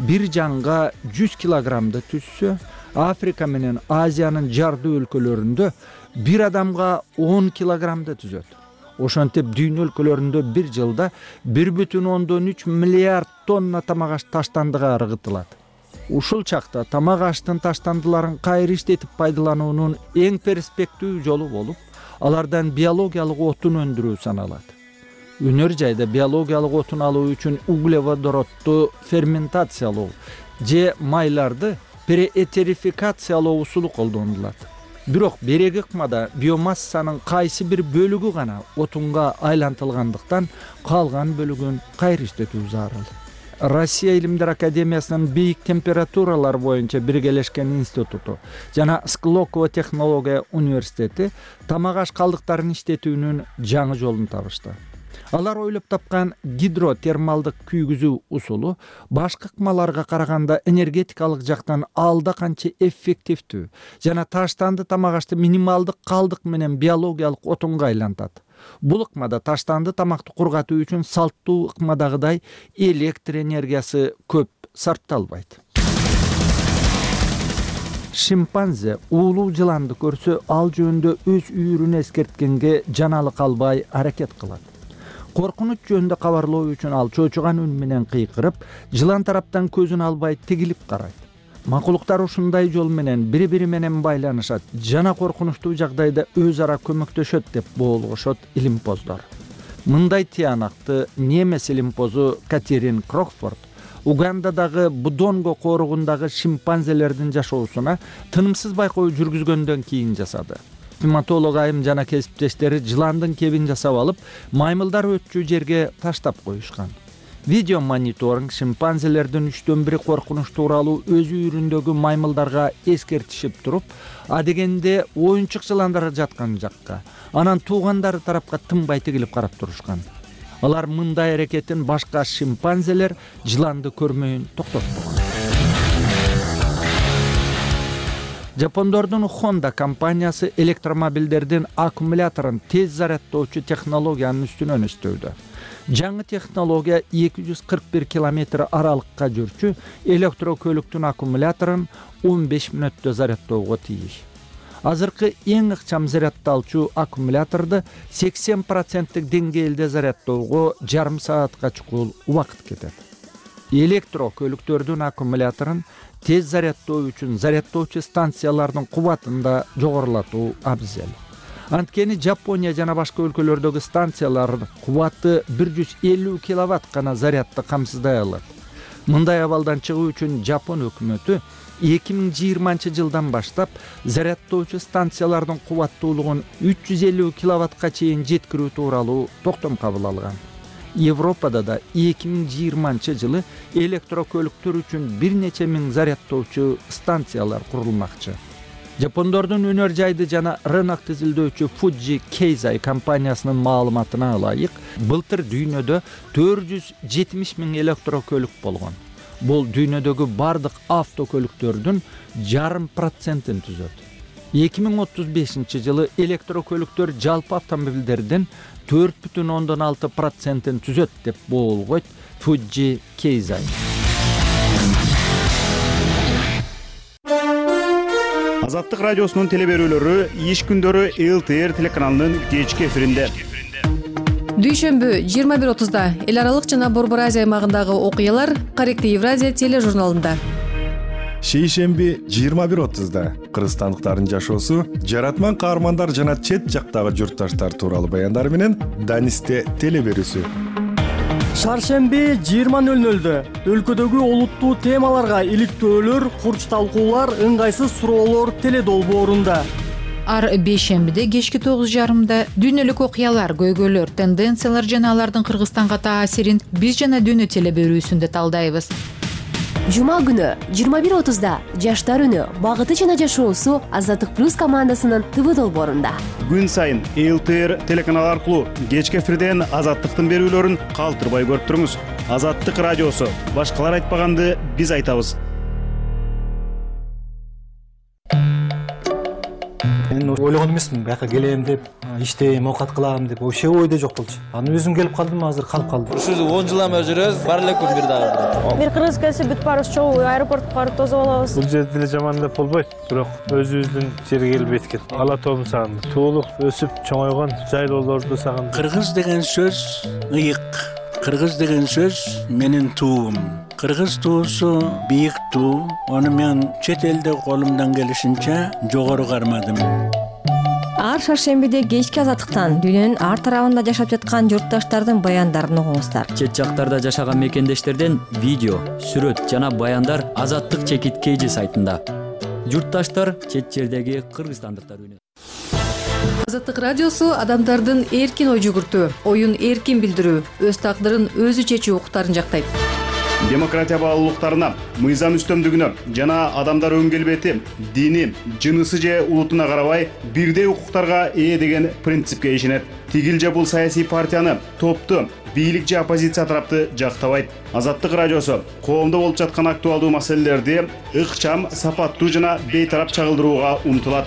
бир жанга 100 килограммды түзсө, Африка менен Азиянын жардуу өлкөлөрүндө бир адамга 10 килограммды түзөт. Ошентип дүйнө өлкөлөрүндө бир жылда 1,3 миллиард тонна тамак аш таштандыга ыргытылат. Ушул чакта тамак аштын таштандыларын кайра иштетип пайдалануунун эң перспективдүү жолу болуп, алардан биологиялык отун өндүрүү саналат. Өнөр жайда биологиялык отун алуу үчүн углеводоротту ферментациялоо же майларды переэтерификациялоо усулу колдонулат. Бирок береги ыкмада биомассанын кайсы бир бөлүгү гана отунга айлантылгандыктан калган бөлүгүн кайра иштетүү зарыл. Россия Илимдер Академиясынын бийик температуралар боюнча биргелешкен институту жана Склокова технология университети тамак аш калдыктарын иштетүүнүн жаңы жолун табышты. Алар ойлоп тапкан гидротермалдык күйгүзүү усулу башка ыкмаларга караганда энергетикалык жактан алда канча эффективдүү жана таштанды тамак ашты минималдык калдык менен биологиялык отунга айлантат. Бул ыкмада таштанды тамакты кургатуу үчүн салттуу ыкмадагыдай электр энергиясы көп сарпталбайт. Шимпанзе уулуу жыланды көрсө, ал жөнүндө өз үйүрүн эскерткенге жаналык албай аракет кылат. Коркунуч жөнүндө кабарлоо үчүн ал чоочуган үн менен кыйкырып, жылан тараптан көзүн албай тигилип карайт. Макулуктар ушундай жол менен бири-бири менен байланышат жана коркунучтуу жагдайда өз ара көмөктөшөт деп боолгошот илимпоздор. Мындай тыянакты немес илимпозу Катерин Крокфорд Угандадагы Будонго кооругундагы шимпанзелердин жашоосуна тынымсыз байкоо жүргүзгөндөн кийин жасады. Приматолог айым жана кесиптештери жыландын кебин жасап алып, маймылдар өтчү жерге таштап коюшкан. Видео мониторинг шимпанзелердин 1/3 коркунуч тууралуу өз үйүрүндөгү маймылдарга эскертишип туруп, адегенде оюнчук жыландар жаткан жакка, анан туугандары тарапка тынбай тигилип карап турушкан. Алар мындай аракетин башка шимпанзелер жыланды көрмөйүн токтотпогон. Жапондордун Honda компаниясы электромобилдердин аккумуляторун тез зарядтоочу технологиянын үстүнөн иштөөдө. Жаңы технология 241 километр аралыкка жүрчү электрокөлүктүн аккумуляторун 15 мүнөттө зарядтоого тийиш. Азыркы эң ыкчам зарядталчу аккумуляторду 80% деңгээлде зарядтоого жарым саатка чукул убакыт кетет. Электрокөлүктөрдүн аккумуляторун тез зарядтоо үчүн зарядтоочу станциялардын кубатын да жогорулатуу абзел. Анткени Жапония жана башка өлкөлөрдөгү станциялардын кубаты 150 киловатт гана зарядты камсыздай алат. Мындай абалдан чыгуу үчүн Жапон өкмөтү 2020 жылдан баштап зарядтоочу станциялардын кубаттуулугун 350 киловаттка чейин жеткирүү тууралуу токтом кабыл алган. Европада да 2020 жылы электрокөлүктөр үчүн бир нече миң зарядтоочу станциялар курулмакчы. Жапондордун өнөр жайды жана рынокты изилдөөчү Fuji Keizai компаниясынын маалыматына ылайык, былтыр дүйнөдө 470 миң электрокөлүк болгон. Бул дүйнөдөгү бардык автокөлүктөрдүн 0,5% түзөт. 2035 жылы электрокөлүктөр жалпы автомобилдердин 4,6% түзөт деп боолгойт Fuji Keizai. Азаттык радиосунун телеберүүлөрү иш күндөрү ЛТР телеканалынын кечки эфиринде. Дүйшөмбү 21:30 эл аралык жана Борбор Азия аймагындагы окуялар Корректив Евразия тележурналында. Шейшемби 21:30 кыргызстандыктардын жашоосу, жаратман каармандар жана чет жактагы журтташтар тууралуу баяндар менен Данисте телеберүүсү. Шаршемби 20:00 өлкөдөгү олуттуу темаларга иликтөөлөр, курч талкуулар, ыңгайсыз суроолор теледолбоорунда. Ар бейшембиде кечки 9:30 дүйнөлүк окуялар, көйгөйлөр, тенденциялар жана алардын Кыргызстанга таасирин биз жана дүйнө телеберүүсүндө талдайбыз. Жума күнү 21:30 жаштар үнү, багыты жана жашоосу Азаттык плюс командасынын ТВ долбоорунда. Күн сайын ЛТР телеканалы аркылуу кечки эфирден Азаттыктын берүүлөрүн калтырбай көрүп туруңуз. Азаттык радиосу, башкалар айтпаганды биз айтабыз. Мен ойлогон эмесмин бияка келем деп, иштейм, оокат кылам деп, вообще ойдо жок болчу. Анан өзүм келип калдым, азыр калып калдым. Ушул 10 жылдан бери жүрөбүз, бар элекпи бир дагы. Бир кыргыз келсе бүт баарыбыз чогуу аэропортко барып тосуп алабыз. Бул жерде эле жаман деп болбойт, бирок өзүбүздүн жерге келбейт экен. Ала тоомду сагындым. Туулук өсүп чоңойгон жайлоолорду сагындым. Кыргыз деген сөз ыйык. Кыргыз деген сөз менин туум. Кыргыз туусу бийик туу. Аны мен чет элде колумдан келишинче жогору кармадым. Ар шаршембиде кечки азаттыктан дүйнөнүн ар тарабында жашап жаткан журтташтардын баяндарын угуңуздар. Чет жактарда жашаган мекендештерден видео, сүрөт жана баяндар Азаттык чекит KG сайтында. Журтташтар чет жердеги кыргызстандыктар үнү. Азаттык радиосу адамдардын эркин ой жүгүртүү, оюн эркин билдирүү, өз тагдырын өзү чечүү укуктарын жактайт. Демократия баалуулуктарына, мыйзам үстөмдүгүнө жана адамдар өн келбети, дини, жынысы же улутуна карабай бирдей укуктарга ээ деген принципке ишенет. Тигил же бул саясий партияны, топту, бийлик же оппозиция тарапты жактабайт. Азаттык радиосу коомдо болуп жаткан актуалдуу маселелерди ыкчам, сапаттуу жана бейтарап чагылдырууга умтулат.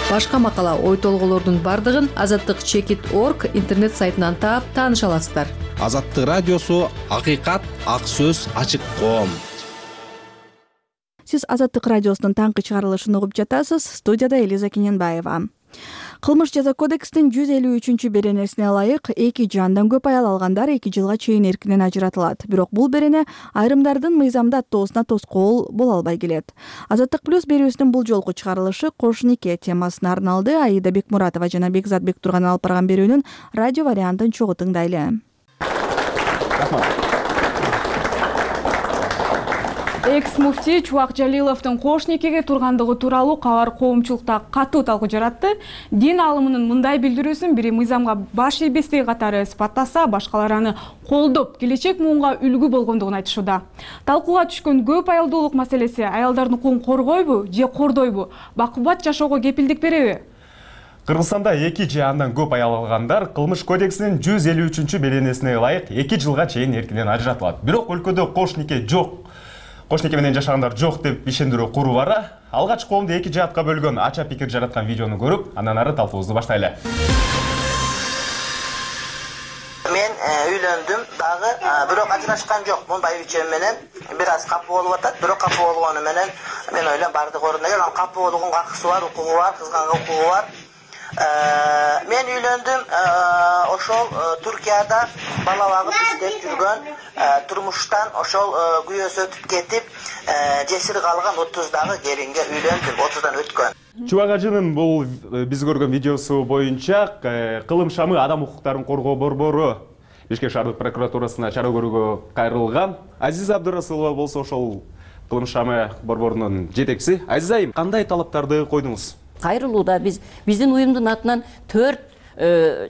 Башка макала, ой толголордун бардыгын azattikchekit.org интернет сайтынан таап тааныша аласыздар. Азаттык радиосу акыйкат, ак сөз, ачык коом. Сиз Азаттык радиосунун таңкы чыгарылышын угуп жатасыз. Студияда Элиза Кененбаева. Кылмыш жаза кодекстин 153-беренесине ылайык 2 жандан көп аял алгандар 2 жылга чейин эркинен ажыратылат. Бирок бул берене айрымдардын мыйзамда аттоосуна тоскоол боло албай келет. Азаттык плюс берүүсүнүн бул жолку чыгарылышы кош нике темасына арналды. Аида Бекмуратова жана Бекзат Бектурган алып барган берүүнүн радио вариантын чогуу тыңдайлы. Экс-муфтий Чубак Жалиловдун кош никеге тургандыгы тууралуу кабар коомчулукта катуу талкуу жаратты. Дин алымынын мындай билдирүүсүн бири мыйзамга баш ийбестей катары сыпаттаса, башкалар аны колдоп, келечек муунга үлгү болгондугун айтышууда. Талкууга түшкөн көп аялдуулук маселеси аялдардын укугун коргойбу же кордойбу? Бакубат жашоого кепилдик береби? Кыргызстанда 2 же андан көп аял алгандар кылмыш кодексинин 153-беренесине ылайык 2 жылга чейин эркинен ажыратылат. Бирок өлкөдө кош нике жок. Кош нике менен жашагандар жок деп ишендирүү куру бара. Алгач коомду 2 жаатка бөлгөн ача пикир жараткан видеону көрүп, андан ары талкуубузду баштайлы. Мен үйлөндүм дагы, бирок ажырашкан жок. Мындай үчөм менен бир аз капы болуп атат, бирок капы болгону менен мен ойлойм бардык орунда келет. Капы болгонго акысы бар, укугу бар, кызганга укугу бар. Мен үйлөндүм, ошол Туркияда бала багып иштеп жүргөн, турмуштан ошол күйөөсү өтүп кетип, жесир калган 30-дагы келинге үйлөндүм, 30дан өткөн. Чубак ажынын бул биз көргөн видеосу боюнча кылым шамы адам укуктарын коргоо борбору Бишкек шаардык прокуратурасына чара көрүүгө кайрылган. Азиза Абдурасулова болсо ошол кылым шамы борборунун жетекчиси. Азиза айым, кандай талаптарды койдуңуз? Кайрылууда биздин уюмдун атынан 4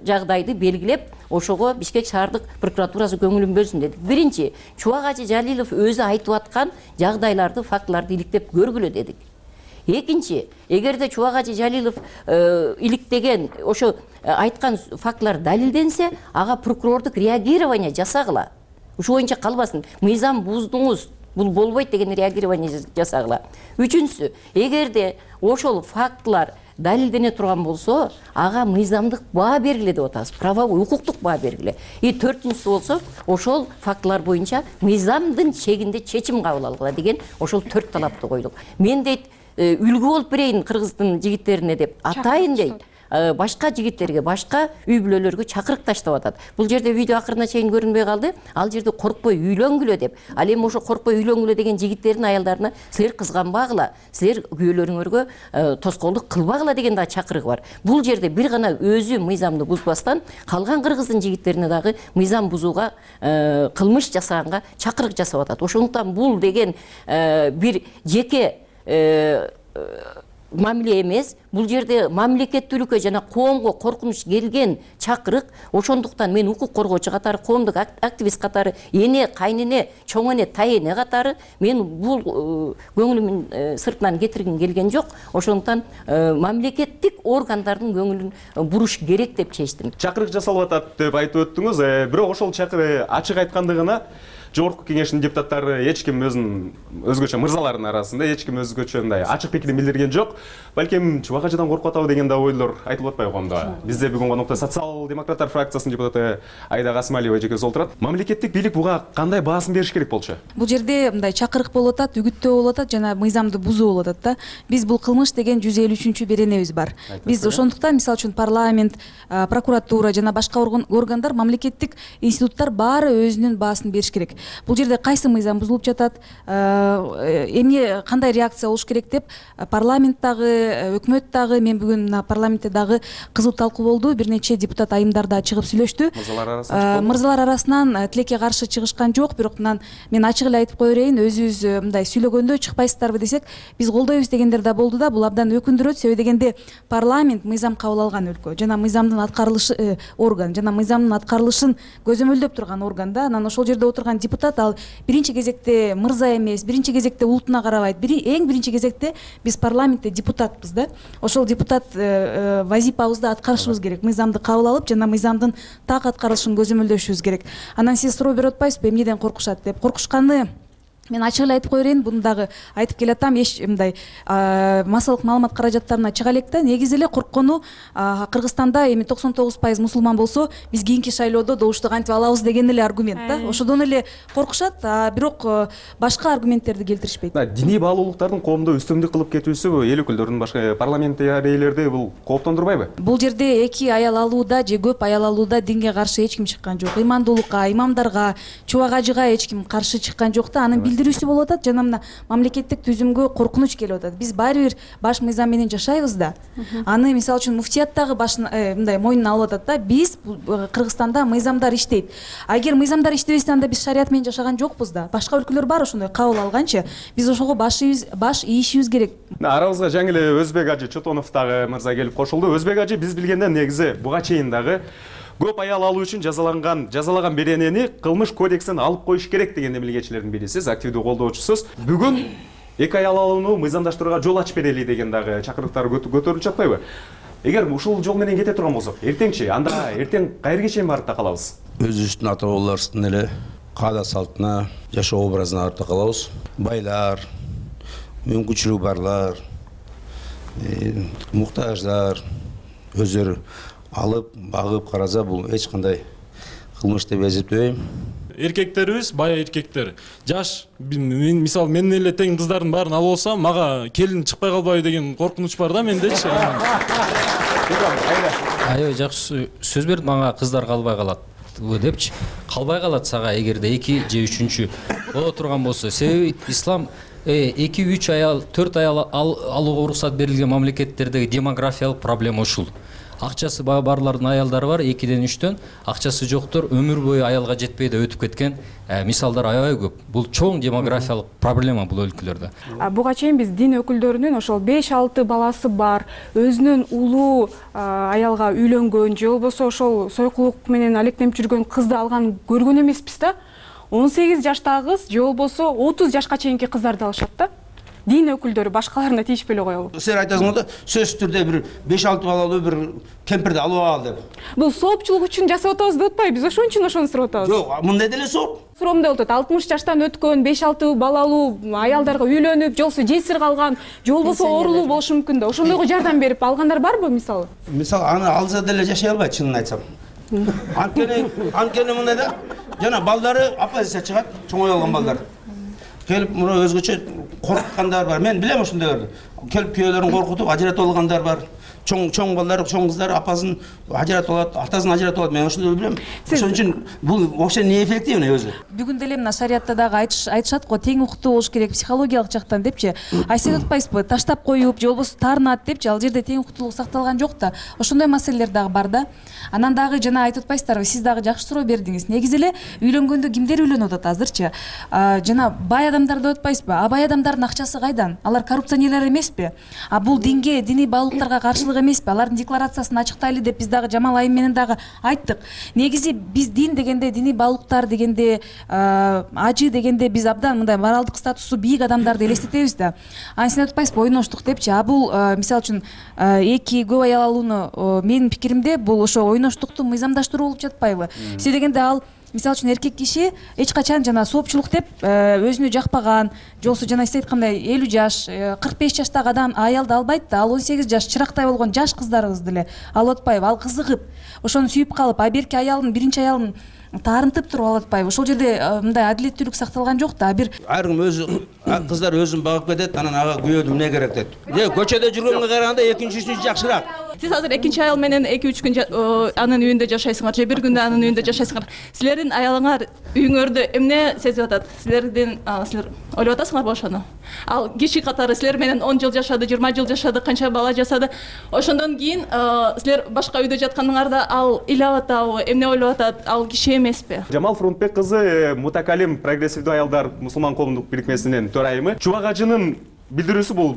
жагдайды белгилеп, ошого Бишкек шаардык прокуратурасы көңүлүн бөлсүн дедик. Биринчи, Чубак ажы Жалилов өзү айтып аткан жагдайларды, фактыларды иликтеп көргүлө дедик. Экинчи, эгерде Чубак ажы Жалилов иликтеген, ошо айткан фактылар далилденсе, ага прокурордук реагирование жасагыла. Ушул боюнча калбасын. Мыйзам буздуңуз, бул болбойт деген реагирование жасагыла. Үчүнчүсү, эгерде ошол фактылар далилдене турган болсо, ага мыйзамдык баа бергиле деп атабыз, правовой, укуктук баа бергиле. Төртүнчүсү болсо, ошол фактылар боюнча мыйзамдын чегинде чечим кабыл алгыла деген ошол 4 талапты койдук. Мен дейт, үлгү болуп берейин кыргыздын жигиттерине деп атайын дейт. Башка жигиттерге, башка үй бүлөлөргө чакырык таштап атат. Бул жерде видео акырына чейин көрүнбөй калды. Ал жерде коркпой үйлөнгүлө деп. Ал эми ошо коркпой үйлөнгүлө деген жигиттердин аялдарына силер кызганбагыла, силер күйөөлөрүңөргө тоскоолдук кылбагыла деген да чакырыгы бар. Бул жерде бир гана өзү мыйзамды бузбастан, калган кыргыздын жигиттерине дагы мыйзам бузууга, кылмыш жасаганга чакырык жасап атат. Ошондуктан бул деген бир жеке мамиле эмес, бул жерде мамлекеттүүлүккө жана коомго коркунуч келген чакырык. Ошондуктан мен укук коргоочу катары, коомдук активист катары, эне, кайнене, чоң эне, тайэне катары мен бул көңүлүмдүн сыртынан кетиргим келген жок. Ошондуктан мамлекеттик органдардын көңүлүн буруш керек деп чечтим. Чакырык жасалып атат деп айтып өттүңүз, бирок ошол чакырык ачык айткандыгына жогорку кеңештин депутаттары эч ким өзгөчө мырзалардын арасында эч ким өзгөчө мындай ачык пикирин билдирген жок. Балким Чубак ажыдан коркуп атабы деген да ойлор айтылып атпайбы коомдо. Бизде бүгүн конокто социал-демократтар фракциясынын депутаты Айда Касымалиева эжекебиз отурат. Мамлекеттик бийлик буга кандай баасын бериш керек болчу? Бул жерде мындай чакырык болуп атат, үгүттөө болуп атат жана мыйзамды бузуу болуп атат да. Биз бул кылмыш деген 153 беренебиз бар. Биз ошондуктан мисалы үчүн парламент, прокуратура жана башка органдар, мамлекеттик институттар баары өзүнүн баасын бериш керек. Бул жерде кайсы мыйзам бузулуп жатат, эмне кандай реакция болуш керек деп парламент дагы, өкмөт дагы, мен бүгүн мына парламентте дагы кызуу талкуу болду. Бир нече депутат айымдарда чыгып сүйлөштү. Мырзалар арасынан тилекке каршы чыгышкан жок, бирок мен ачык эле айтып кое берейин, өзүбүз мындай сүйлөгөндө чыкпайсыздарбы десек, биз колдойбуз дегендер да болду да. Бул абдан өкүндүрөт, себеби дегенде парламент мыйзам кабыл алган өлкө жана мыйзамдын аткарылышы орган жана мыйзамдын аткарылышын көзөмөлдөп турган орган да. Анан ошол жерде отурган депутат ал биринчи кезекте мырза эмес, биринчи кезекте улутуна карабайт. Эң биринчи кезекте биз парламентте депутатпыз да. Ошол депутат вазипабызды аткарышыбыз керек. Мыйзамды кабыл алып жана мыйзамдын так аткарылышын көзөмөлдөшүбүз керек. Анан сиз суроо берип атпайсызбы, эмнеден коркушат деп? Коркушканы мен ачык эле айтып кое берейин, буну дагы айтып келатам, эч мындай массалык маалымат каражаттарына чыга элек да. Негизи эле корккону Кыргызстанда эми 99% мусулман болсо, биз кийинки шайлоодо добушту кантип алабыз деген эле аргумент да. Ошодон эле коркушат, бирок башка аргументтерди келтиришпейт. Диний баалуулуктардын коомдо үстөмдүк кылып кетүүсү эл өкүлдөрүн, башка парламенттегилерди бул кооптондурбайбы? Бул жерде эки аял алууда же көп аял алууда динге каршы эч ким чыккан жок. Ыймандуулукка, имамдарга, Чубак ажыга эч ким каршы чыккан жок да. Анын билдирүүсү болуп атат жана мына мамлекеттик түзүмгө коркунуч келип атат. Биз баары бир баш мыйзам менен жашайбыз да. Аны мисалы үчүн муфтият дагы башын мындай мойнуна алып атат да. Биз Кыргызстанда мыйзамдар иштейт. Агер мыйзамдар иштебесе, анда биз шарият менен жашаган жокпуз да. Башка өлкөлөр бар ошондой кабыл алганчы. Биз ошого баш ийишибиз керек. Арабызга жаңы эле Өзбек ажы Чотонов дагы мырза келип кошулду. Өзбек ажы биз билгенден негизи буга чейин дагы көп аял алуу үчүн жазалаган беренени кылмыш кодексинен алып коюш керек деген эмилгечилердин бири. Сиз активдүү колдоочусуз. Бүгүн эки аял алууну мыйзамдаштырууга жол ачып берели деген дагы чакырыктар көтөрүлүп жатпайбы? Эгер ушул жол менен кете турган болсок, эртеңчи анда эртең кайерге чейин барып такалабыз? Өзүбүздүн ата бабаларыбыздын эле каада салтына, жашоо образына барып такалабыз. Байлар, мүмкүнчүлүгү барлар, муктаждар өздөрү алып, багып караса, бул эч кандай кылмыш деп эсептебейм. Эркектерибиз бая эркектер. Жаш, мисалы мен эле тең кыздардын баарын алып алсам, мага келин чыкпай калбайбы деген коркунуч бар да мендечи. Аябай жакшы сөз берди мага, кыздар калбай калат депчи. Калбай калат сага эгерде 2 же 3-чү боло турган болсо. Себеби ислам 2-3 аял, 4 аял алууга уруксат берилген мамлекеттердеги демографиялык проблема ушул. Акчасы барлардын аялдары бар, 2-ден 3-төн, акчасы жоктор өмүр бою аялга жетпей да өтүп кеткен мисалдар аябай көп. Бул чоң демографиялык проблема бул өлкөлөрдө. Буга чейин биз дин өкүлдөрүнүн ошол 5-6 баласы бар, өзүнүн улуу аялга үйлөнгөн же болбосо ошол сойкулук менен алектенип жүргөн кызды алган көргөн эмеспиз да. 18 жаштагы кыз же болбосо 30 жашка чейинки кыздарды алышат да. Дин өкүлдөрү башкаларына тийишпей эле коелу. Сен айтасың да, сөзсүз түрдө бир 5-6 балалуу бир кемпирди алып ал деп. Бул соопчулук үчүн жасап атабыз деп атпайбы? Биз ошон үчүн ошону сурап атабыз. Жок, мындай деле сооп. Суроомдой болот, 60 жаштан өткөн 5-6 балалуу аялдарга үйлөнүп, же болбосо жесир калган, же болбосо оорулуу болушу мүмкүн да. Ошондойго жардам берип алгандар барбы мисалы? Мисалы аны алса деле жашай албайт, чынын айтсам. Анткени мындай да, жана балдары оппозиция чыгат, чоңой алган балдар. Келип мына өзгөчө коркуткандар бар. Мен билем ошондойлорду. Келип күйөөлөрүн коркутуп ажыратып алгандар бар. Чоң балдар, чоң кыздар апасын ажыратып алат, атасын ажыратып алат. Мен ошондой билем. Ошон үчүн бул вообще не эффективный өзү. Бүгүн деле мына шариятта дагы айтышат го, тең укуктуу болуш керек психологиялык жактан депчи. Сиз атпайсызбы, таштап коюп же болбосо таарынат депчи, ал жерде тең укуктуулук сакталган жок да. Ошондой маселелер дагы бар да. Анан дагы жана айтып атпайсыздарбы, сиз дагы жакшы суроо бердиңиз. Негизи эле үйлөнгөндө кимдер үйлөнүп атат азырчы? Жана бай адамдар деп атпайсызбы? Бай адамдардын акчасы кайдан? Алар коррупционерлер эмеспи? Бул динге, диний баалуулуктарга каршылык эмеспи? Алардын декларациясын ачыктайлы деп биз дагы Жамал айым менен дагы айттык. Негизи биз дин дегенде, диний баалуулуктар дегенде, ажы дегенде биз абдан мындай моралдык статусу бийик адамдарды элестетебиз да. Сен атпайсызбы, ойноштук депчи. Бул мисалы үчүн эки көп аял алууну менин пикиримде бул ошо ойноштукту мыйзамдаштыруу болуп жатпайбы? Себеби дегенде ал мисалы үчүн эркек киши эч качан жана соопчулук деп өзүнө жакпаган же болбосо жана сиз айткандай 50 жаш 45 жаштагы адам аялды албайт да, ал 18 жаш чырактай болгон жаш кыздарыбызды эле алып атпайбы, ал кызыгып ошону сүйүп калып, а берки аялын биринчи аялын таарынтып туруп алып атпайбы. Ошол жерде мындай адилеттүүлүк сакталган жок да. Бир ар ким өзү кыздар өзүн багып кетет, анан ага күйөөдү эмне керек дейт. Көчөдө жүргөнгө караганда экинчи үчүнчү жакшыраак. Сиз азыр экинчи аял менен 2-3 күн анын үйүндө жашайсыңар же бир күндө анын үйүндө жашайсыңар. Силердин аялыңар үйүңөрдө эмне сезип атат? Силер ойлоп атасыңарбы ошону? Ал киши катары силер менен 10 жыл жашады, 20 жыл жашады, канча бала жасады. Ошондон кийин силер башка үйдө жатканыңарда ал ыйлап атабы, эмне ойлоп атат? Ал киши эмеспи? Жамал Фрунтбек кызы Мутакалим прогрессивдүү аялдар мусулман коомдук бирикмесинин төрайымы. Чубак ажынын билдирүүсү бул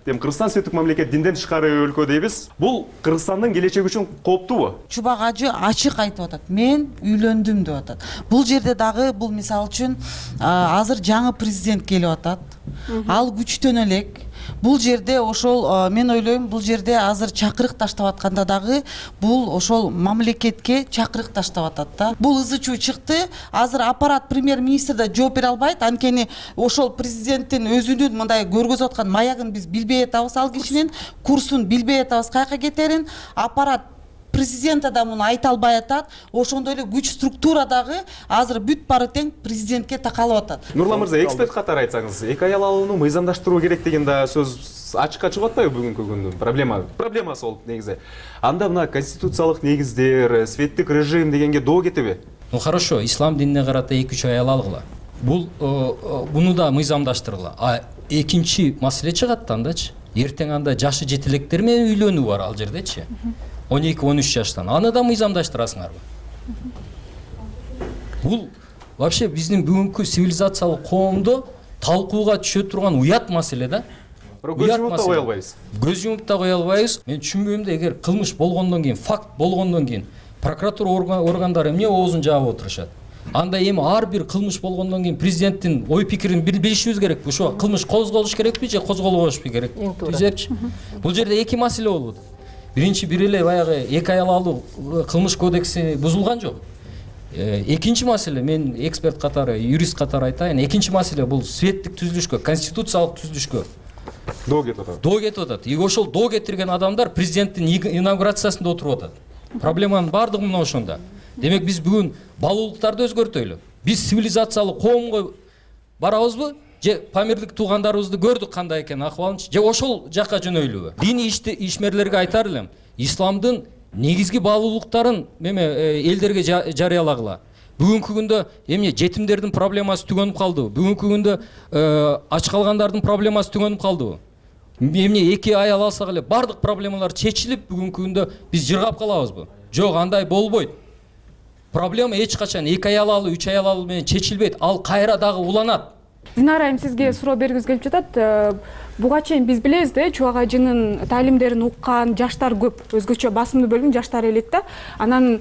Кыргызстан светтик мамлекет, динден тышкары өлкө дейбиз. Бул Кыргызстандын келечеги үчүн кооптуубу? Чубак ажы ачык айтып атат. Мен үйлөндүм деп атат. Бул жерде дагы бул мисалы үчүн азыр жаңы президент келип атат. Ал күчтөнө элек. Бул жерде ошол мен ойлойм, бул жерде азыр чакырык таштап атканда дагы бул ошол мамлекетке чакырык таштап атат да. Бул ызы чуу чыкты. Азыр аппарат премьер-министр да жооп бере албайт. Анткени ошол президенттин өзүнүн мындай көргөзүп аткан маягын биз билбей атабыз, ал кишинин курсун билбей атабыз, каяка кетерин. Аппарат президент да муну айта албай атат. Ошондой эле күч структура дагы азыр бүт бары тең президентке такалып атат. Нурлан мырза, эксперт катары айтсаңыз, эки аял алууну мыйзамдаштыруу керек деген да сөз ачыкка чыгып атпайбы бүгүнкү күндүн проблемасы болуп негизи. Анда мына конституциялык негиздер, светтик режим дегенге доо кетеби? Ну хорошо, ислам динине карата 2-3 аял алгыла. Бул буну да мыйзамдаштыргыла. А экинчи маселе чыгат андачы. Эртең анда жашы жетелектер менен үйлөнүү бар ал жердечи. 12-13 жаштан. Аны да мыйзамдаштырасыңарбы? Бул вообще биздин бүгүнкү цивилизациялык коомдо талкууга түшө турган уят маселе да. Көз жумуп да кое албайбыз. Көз жумуп да кое албайбыз. Мен түшүнбөйм да, эгер кылмыш болгондон кийин, факт болгондон кийин прокуратура органдары эмне оозун жаап отурушат? Анда эми ар бир кылмыш болгондон кийин президенттин ой пикирин билишибиз керек. Ошо кылмыш козголуш керекпи же козголбошпу керек? Түзөпчү. Бул жерде эки маселе болуп атат. Биринчи бир эле баягы эки аял алуу кылмыш кодекси бузулган жок. Экинчи маселе, мен эксперт катары, юрист катары айтайын, экинчи маселе бул светтик түзүлүшкө, конституциялык түзүлүшкө доо кетип атат. Доо кетип атат. И ошол доо кетирген адамдар президенттин инаугурациясында отуруп атат. Проблеманын бардыгы мына ошондо. Демек биз бүгүн балуулуктарды өзгөртөйлү. Биз цивилизациялык коомго барабызбы? Же памирлик туугандарыбызды көрдүк кандай экен акыбалынчы, же ошол жакка жөнөйлүбү? Диний ишмерлерге айтар элем, исламдын негизги баалуулуктарын элдерге жарыялагыла. Бүгүнкү күндө эмне жетимдердин проблемасы түгөнүп калдыбы? Бүгүнкү күндө ач калгандардын проблемасы түгөнүп калдыбы? Эмне эки аял алсак эле бардык проблемалар чечилип, бүгүнкү күндө биз жыргап калабызбы? Жок, андай болбойт. Проблема эч качан эки аял алуу, 3 аял алуу менен чечилбейт. Ал кайра дагы уланат. Динара айым, сизге суроо бергибиз келип жатат. Буга чейин биз билебиз да, Чубак ажынын таалимдерин уккан жаштар көп, өзгөчө басымдуу бөлүгүн жаштар элек да. Анан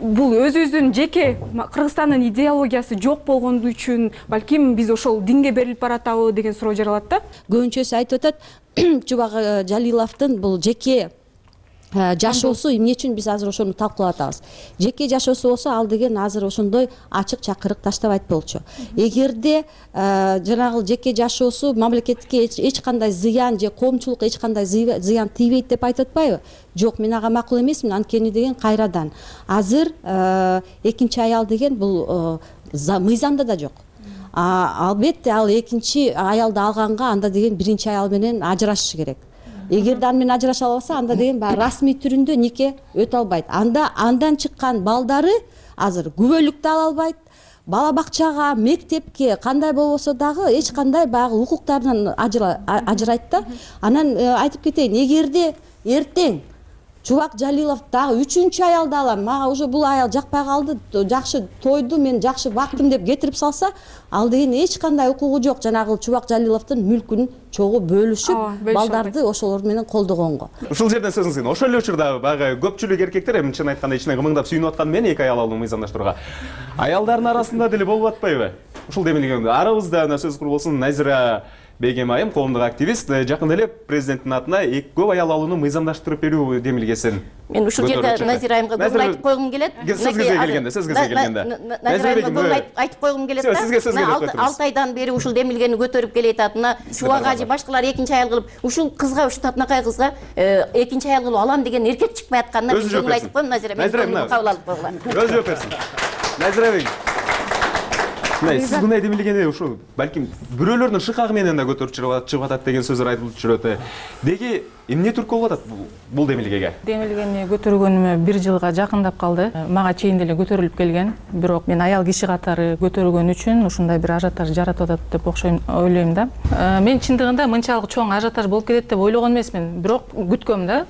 бул өзүбүздүн жеке Кыргызстандын идеологиясы жок болгону үчүн балким биз ошол динге берилип баратабы деген суроо жаралат да. Көбүнчөсү айтып атат, Чубак Жалиловдун бул жеке жашоосу эмне үчүн биз азыр ошону талкуулап атабыз. Жеке жашоосу болсо, ал деген азыр ошондой ачык чакырык таштабайт болчу. Эгерде жанагы жеке жашоосу мамлекетке эч кандай зыян же коомчулукка эч кандай зыян тийбейт деп айтып атпайбы? Жок, мен ага макул эмесмин. Анткени деген кайрадан азыр экинчи аял деген бул мыйзамда да жок. Албетте ал экинчи аялды алганга анда деген биринчи аял менен ажырашышы керек. Эгерде аны менен ажыраша албаса, анда деген расмий түрүндө нике өтө албайт. Андан чыккан балдары азыр күбөлүктү ала албайт. Бала бакчага, мектепке кандай болбосо дагы эч кандай баягы укуктарынан ажырайт да. Анан айтып кетейин, эгерде эртең Чубак Жалилов дагы 3-чү аялды алам, мага уже бул аял жакпай калды, жакшы тойду, мен жакшы бактым деп кетирип салса, ал деген эч кандай укугу жок жанагы Чубак Жалиловдун мүлкүн чогуу бөлүшүп, балдарды ошолор менен колдогонго. Ушул жерден сөзүңүз кийин, ошол эле учурда баягы көпчүлүк эркектер, эми чын айтканда ичинен кымыңдап сүйүнүп аткан мен эки аял алууну мыйзамдаштырууга. Аялдардын арасында деле болуп атпайбы? Ушул демелгенде арабызда сөз куру болсун, Назира Бегем айым, коомдук активист, жакында эле президенттин атына көп аял алууну мыйзамдаштырып берүү демилгесин. Мен ушул жерде Назира айымга көңүл айтып койгум келет. Сизге келгенде. Назира айымга көңүл айтып койгум келет да. Сизге 6 айдан бери ушул демилгени көтөрүп келе жатат. Мына Чубак ажы башкалар экинчи аял кылып, ушул кызга, ушул татынакай кызга экинчи аял кылып алам деген эркек чыкпай атканына көңүл айтып коем. Назира айым кабыл алып койгула. Өзү жооп берсин. Назира айым. Сиз мындай демилгени ушул балким бирөөлөрдүн шыкагы менен да көтөрүп чыгып атат деген сөздөр айтылып жүрөт. Деги эмне түрткү болуп атат бул демилгеге? Демилгени көтөргөнүмө 1 жылга жакындап калды. Мага чейин деле көтөрүлүп келген. Бирок мен аял киши катары көтөргөн үчүн ушундай бир ажиотаж жаратып атат деп ойлойм да. Мен чындыгында мынчалык чоң ажиотаж болуп кетет деп ойлогон эмесмин. Бирок күткөм да.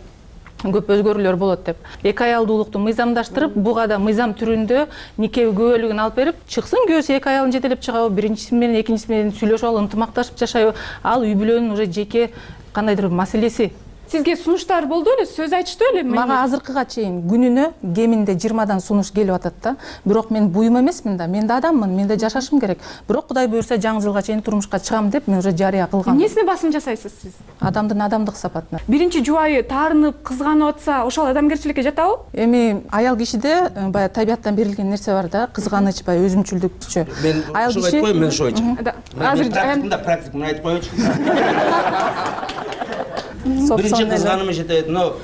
Көп өзгөрүүлөр болот деп. Эки аялдуулукту мыйзамдаштырып, буга да мыйзам түрүндө нике күбөлүгүн алып берип, чыксын күйөөсү эки аялын жетелеп чыгабы, биринчиси менен экинчиси менен сүйлөшүп алып, ынтымакташып жашайбы, ал үй бүлөнүн уже жеке кандайдыр бир маселеси. Сизге сунуштар болду беле, сөз айтыштуу беле? Мага азыркыга чейин күнүнө кеминде 20дан сунуш келип атат да. Бирок мен буюм эмесмин да, мен да адаммын, мен да жашашым керек. Бирок Кудай буйрса жаңы жылга чейин турмушка чыгам деп мен уже жарыя кылгам. Эмнесине басым жасайсыз сиз? Адамдын адамдык сапатына. Биринчи жубайы таарынып, кызганып атса, ошол адамгерчиликке жатабы? Эми аял кишиде баягы табияттан берилген нерсе бар да, кызганыч, баягы өзүмчүлдүкчү. Мен ошол айтып коем, мен ошо айтчу. Азыр практикумду айтып коечу. Биринчи кызганымы жетет, но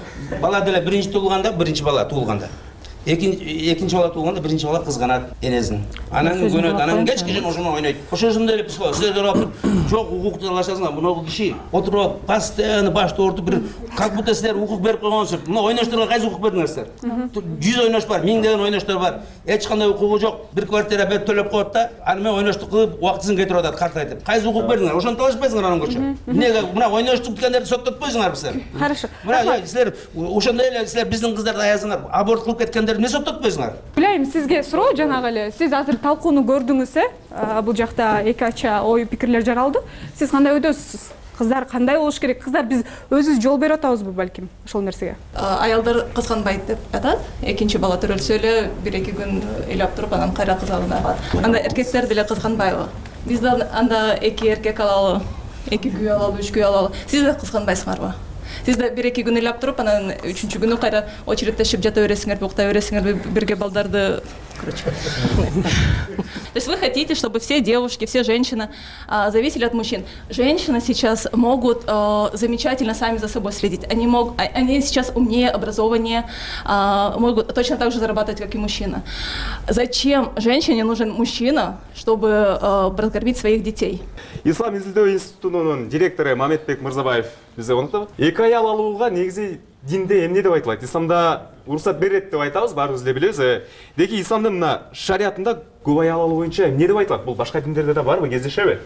бала деле биринчи туулганда, биринчи бала туулганда. Экинчи бала туулганда биринчи бала кызганат энесин. Анан көнөт, анан кечке чейин ошону ойнойт. Ошондой эле психолог силерге карап жок укук талашасыңар. Муногу киши отуруп, постоянно башты ортуп бир как будто силер укук берип койгонсуз. Мына ойношторго кайсы укук бердиңер силер? 100 ойнош бар, 1000 деген ойноштор бар. Эч кандай укугу жок. Бир квартира берип төлөп коет да, аны мен ойноштук кылып, убактысын кетирип атат, картайтып. Кайсы укук бердиңер? Ошону талашпайсыңар анан көрчү. Эмнеге мына ойноштук дегендерди соттотпойсуңар силер? Хорошо. Мына силер ошондой эле силер биздин кыздарды аязыңар, аборт кылып кеткендерди эмне соттотпойсуңар? Билейм, сизге суроо жанагы эле. Сиз азыр талкууну көрдүңүз, бул жакта эки ача ой пикирлер жаралды. Сиз кандай ойдосуз? Кыздар кандай болуш керек? Кыздар биз өзүбүз жол берип атабызбы балким ошол нерсеге? Аялдар кызганбайт деп атат. Экинчи бала төрөлсө эле 1-2 күн ыйлап туруп анан кайра кызганат. Анда эркектер деле кызганбайбы? Биз да анда 2 эркек алалы, 2 күйөө алалы, 3 күйөө алалы. Сиз да кызганбайсыңарбы? Сиз да 1-2 күн ыйлап туруп, анан 3-чү күнү кайра очередтешип жата бересиңерби, укта бересиңерби, бирге балдарды, короче. То есть вы хотите, чтобы все девушки, все женщины зависели от мужчин. Женщины сейчас могут замечательно сами за собой следить. Они сейчас умнее, образованнее, могут точно так же зарабатывать, как и мужчина. Зачем женщине нужен мужчина, чтобы прокормить своих детей? Ислам изилдөө институтунун директору Мамедбек Мырзабаев бизге онуктабы. Эки аял алууга негизи динде эмне деп айтылат? Исламда уруксат берет деп айтабыз, баарыбыз эле билебиз. Деги исламдын мына шариятында көп аял алуу боюнча эмне деп айтылат? Бул башка диндерде да барбы, кездешеби?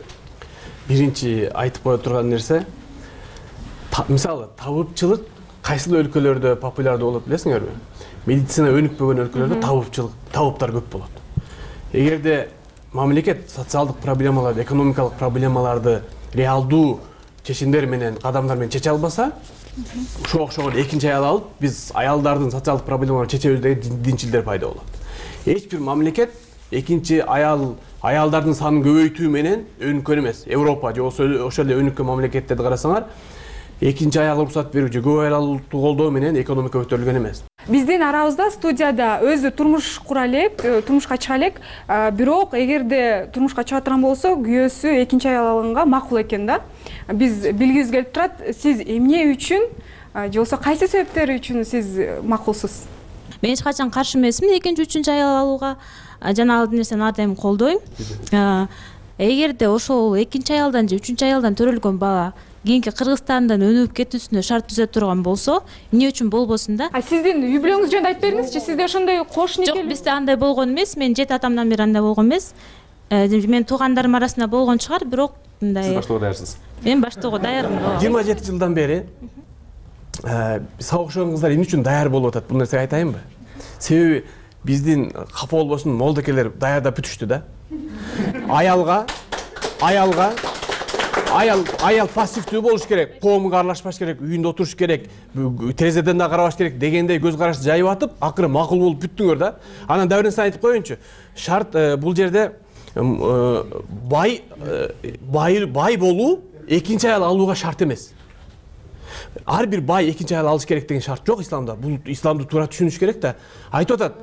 Биринчи айтып кое турган нерсе, мисалы табыпчылык кайсыл өлкөлөрдө популярдуу болот билесиңерби? Медицина өнүкпөгөн өлкөлөрдө табыптар көп болот. Эгерде мамлекет социалдык проблемаларды, экономикалык проблемаларды реалдуу чечимдер менен, кадамдар менен чече албаса, ошого окшогон экинчи аял алып, биз аялдардын социалдык проблемаларын чечебиз деген динчилдер пайда болот. Эч бир мамлекет экинчи аялдардын санын көбөйтүү менен өнүккөн эмес. Европа же ошол эле өнүккөн мамлекеттерди карасаңар, экинчи аял уруксат берүү же көп аял алууну колдоо менен экономика көтөрүлгөн эмес. Биздин арабызда студияда өзү турмуш кура элек, турмушка чыга элек, бирок эгерде турмушка чыга турган болсо, күйөөсү экинчи аял алганга макул экен да. Биз билгибиз келип турат, сиз эмне үчүн же болбосо кайсы себептер үчүн сиз макулсуз? Мен эч качан каршы эмесмин экинчи, үчүнчү аял алууга. Жана ал нерсени ар дайым колдойм. Эгерде ошол экинчи аялдан же үчүнчү аялдан төрөлгөн бала кийинки Кыргызстандан өнүгүп кетүүсүнө шарт түзөп турган болсо, эмне үчүн болбосун да? Сиздин үй бүлөңүз жөнүндө айтып бериңизчи, сизде ошондой кош никелүү? Жок, бизде андай болгон эмес. Мен 7 атамдан бери андай болгон эмес. Мен туугандарым арасында болгон чыгар, бирок мындай. Сиз баштоого даярсыз? Мен баштоого даярмын. 27 жылдан бери сага окшогон кыздар эмне үчүн даяр болуп атат? Бул нерсеге айтайынбы? Себеби биздин капа болбосун молдокелер даярдап бүтүштү да. Аял пассивдүү болуш керек, коомго аралашпаш керек, үйүндө отуруш керек, терезеден да карабаш керек дегендей көз карашты жайып атып, акыры макул болуп бүттүңөр да. Анан дагы бир нерсе айтып коеюнчу. Шарт бул жерде бай болуу экинчи аял алууга шарт эмес. Ар бир бай экинчи аял алыш керек деген шарт жок исламда. Бул исламды туура түшүнүш керек да. Айтып атат,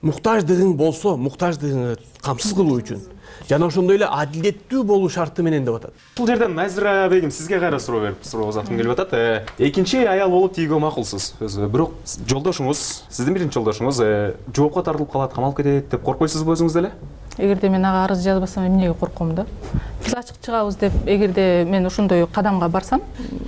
муктаждыгың болсо, муктаждыгыңды камсыз кылуу үчүн жана ошондой эле адилеттүү болуу шарты менен деп атат. Бул жерден Назира бегим сизге кайра суроо узаткым келип атат. Экинчи аял болуп тийгөө макулсуз. Бирок жолдошуңуз, сиздин биринчи жолдошуңуз жоопко тартылып калат, камалып кетет деп коркпойсузбу өзүңүз деле? Эгерде мен ага арыз жазбасам эмнеге корком да? Биз ачык чыгабыз деп, эгерде мен ошондой кадамга барсам,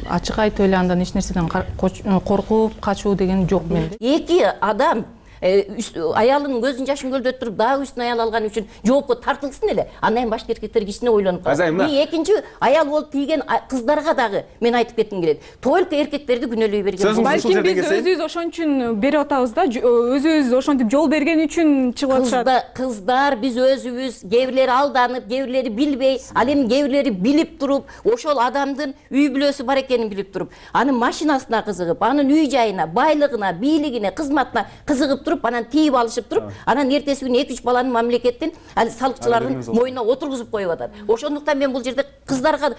ачык айтып эле андан эч нерседен коркуп, качуу деген жок менде. Эки адам аялынын көзүн жашын көлдөтүп туруп дагы үстүнө аял алган үчүн жоопко тартылсын эле. Андан кийин башка эркектер кичине ойлонуп калат. Мен экинчи аял болуп тийген кыздарга дагы мен айтып кетким келет. Только эркектерди күнөөлөй берген. Балким биз өзүбүз ошон үчүн берип атабыз да, өзүбүз ошентип жол берген үчүн чыгып атышат. Кыздар биз өзүбүз, кээ бирлери алданып, кээ бирлери билбей, ал эми кээ бирлери билип туруп, ошол адамдын үй бүлөсү бар экенин билип туруп, анын машинасына кызыгып, анын үй жайына, байлыгына, бийлигине, кызматына кызыгып туруп, анан тийип алышып туруп, анан эртеси күнү 2-3 баланы мамлекеттин салыкчылардын мойнуна отургузуп коюп атат. Ошондуктан мен бул жерде кыздарга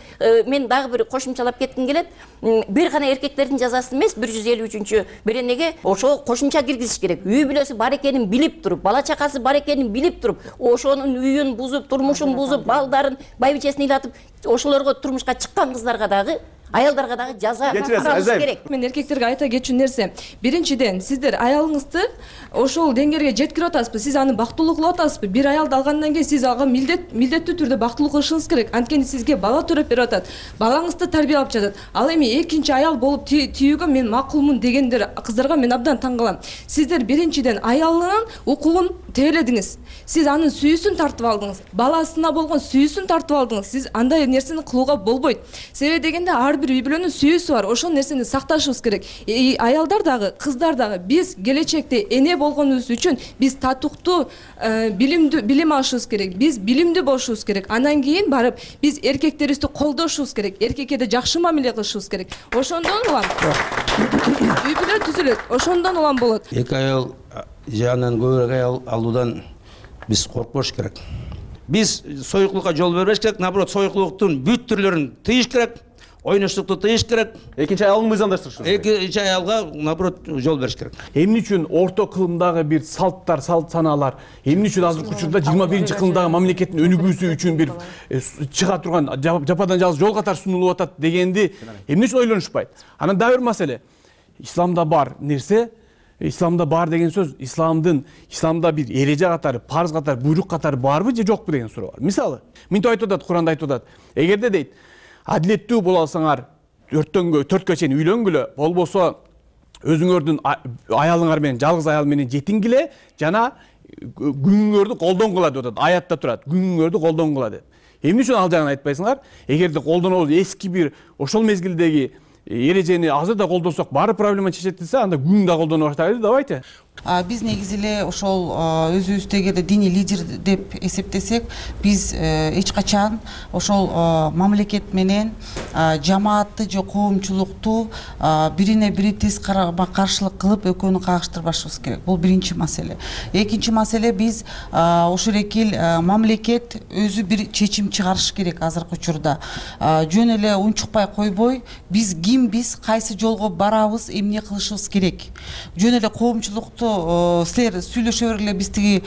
мен дагы бир кошумчалап кетким келет. Бир гана эркектердин жазасын эмес, 153-чү беренеге ошо кошумча киргизиш керек. Үй бүлөсү бар экенин билип туруп, бала чакасы бар экенин билип туруп, ошонун үйүн бузуп, турмушун бузуп, балдарын, байбичесин ыйлатып, ошолорго турмушка чыккан кыздарга дагы, аялдарга дагы жаза каралыш керек. Мен эркектерге айта кетчү нерсе, биринчиден сиздер аялыңызды ошол деңгээлге жеткирип атасызбы, сиз аны бактылуу кылып атасызбы? Бир аялды алгандан кийин сиз ага милдеттүү түрдө бактылуу кылышыңыз керек. Анткени сизге бала төрөп берип атат, балаңызды тарбиялап жатат. Ал эми экинчи аял болуп тийүүгө мен макулмун дегендер кыздарга мен абдан таң калам. Сиздер биринчиден аялынын укугун тебеледиңиз. Сиз анын сүйүүсүн тартып алдыңыз, баласына болгон сүйүүсүн тартып алдыңыз. Сиз андай нерсени кылууга болбойт. Себеби дегенде ар бир үй бүлөнүн сүйүүсү бар. Ошол нерсени сакташыбыз керек. Аялдар дагы, кыздар дагы биз келечекте эне болгонубуз үчүн биз татыктуу, билим алышыбыз керек. Биз билимдүү болушубуз керек. Андан кийин барып биз эркектерибизди колдошубуз керек. Эркекке да жакшы мамиле кылышыбыз керек. Ошондон улам үй бүлө түзүлөт. Ошондон улам болот. Эки аял же андан көбүрөөк аял алуудан биз коркпош керек. Биз союклукка жол бербеш керек. Наоборот, союклуктун бүт түрлөрүн тыйыш керек. Ойноштукту тыйыш керек. Экинчи аялды мыйзамдаштырыш керек. Экинчи аялга наоборот жол бериш керек. Эмне үчүн орто кылымдагы бир салттар, салт санаалар, эмне үчүн азыркы учурда 21-чи кылымдагы мамлекеттин өнүгүүсү үчүн бир чыга турган жападан жалгыз жол катары сунулуп атат дегенди эмне үчүн ойлонушпайт? Анан дагы бир маселе. Исламда бар нерсе, исламда бар деген сөз, исламда бир эреже катары, парыз катары, буйрук катары барбы же жокпу деген суроо бар. Мисалы, мынтип айтып атат, Куранда айтып атат. Эгерде дейт, адилеттүү боло алсаңар, 4кө чейин үйлөнгүлө, болбосо өзүңөрдүн аялыңар менен, жалгыз аял менен жетингиле жана күнүңөрдү колдонгула деп атат. Аятта турат, күнүңөрдү колдонгула деп. Эмне үчүн ал жагын айтпайсыңар? Эгерде колдонобуз эски бир ошол мезгилдеги эрежени азыр да колдонсок баары проблема чечет десе, анда күн да колдоно баштайлы, давайте. Биз негизи эле ошол өзүбүздү эгерде диний лидер деп эсептесек, биз эч качан ошол мамлекет менен жамаатты же коомчулукту бирине бири тез карама каршылык кылып экөөнү кагыштырбашыбыз керек. Бул биринчи маселе. Экинчи маселе, биз ошол эки мамлекет өзү бир чечим чыгарыш керек азыркы учурда. Жөн эле унчукпай койбой, биз кимбиз, кайсы жолго барабыз, эмне кылышыбыз керек. Жөн эле коомчулукту силер сүйлөшө бергиле, биз тиги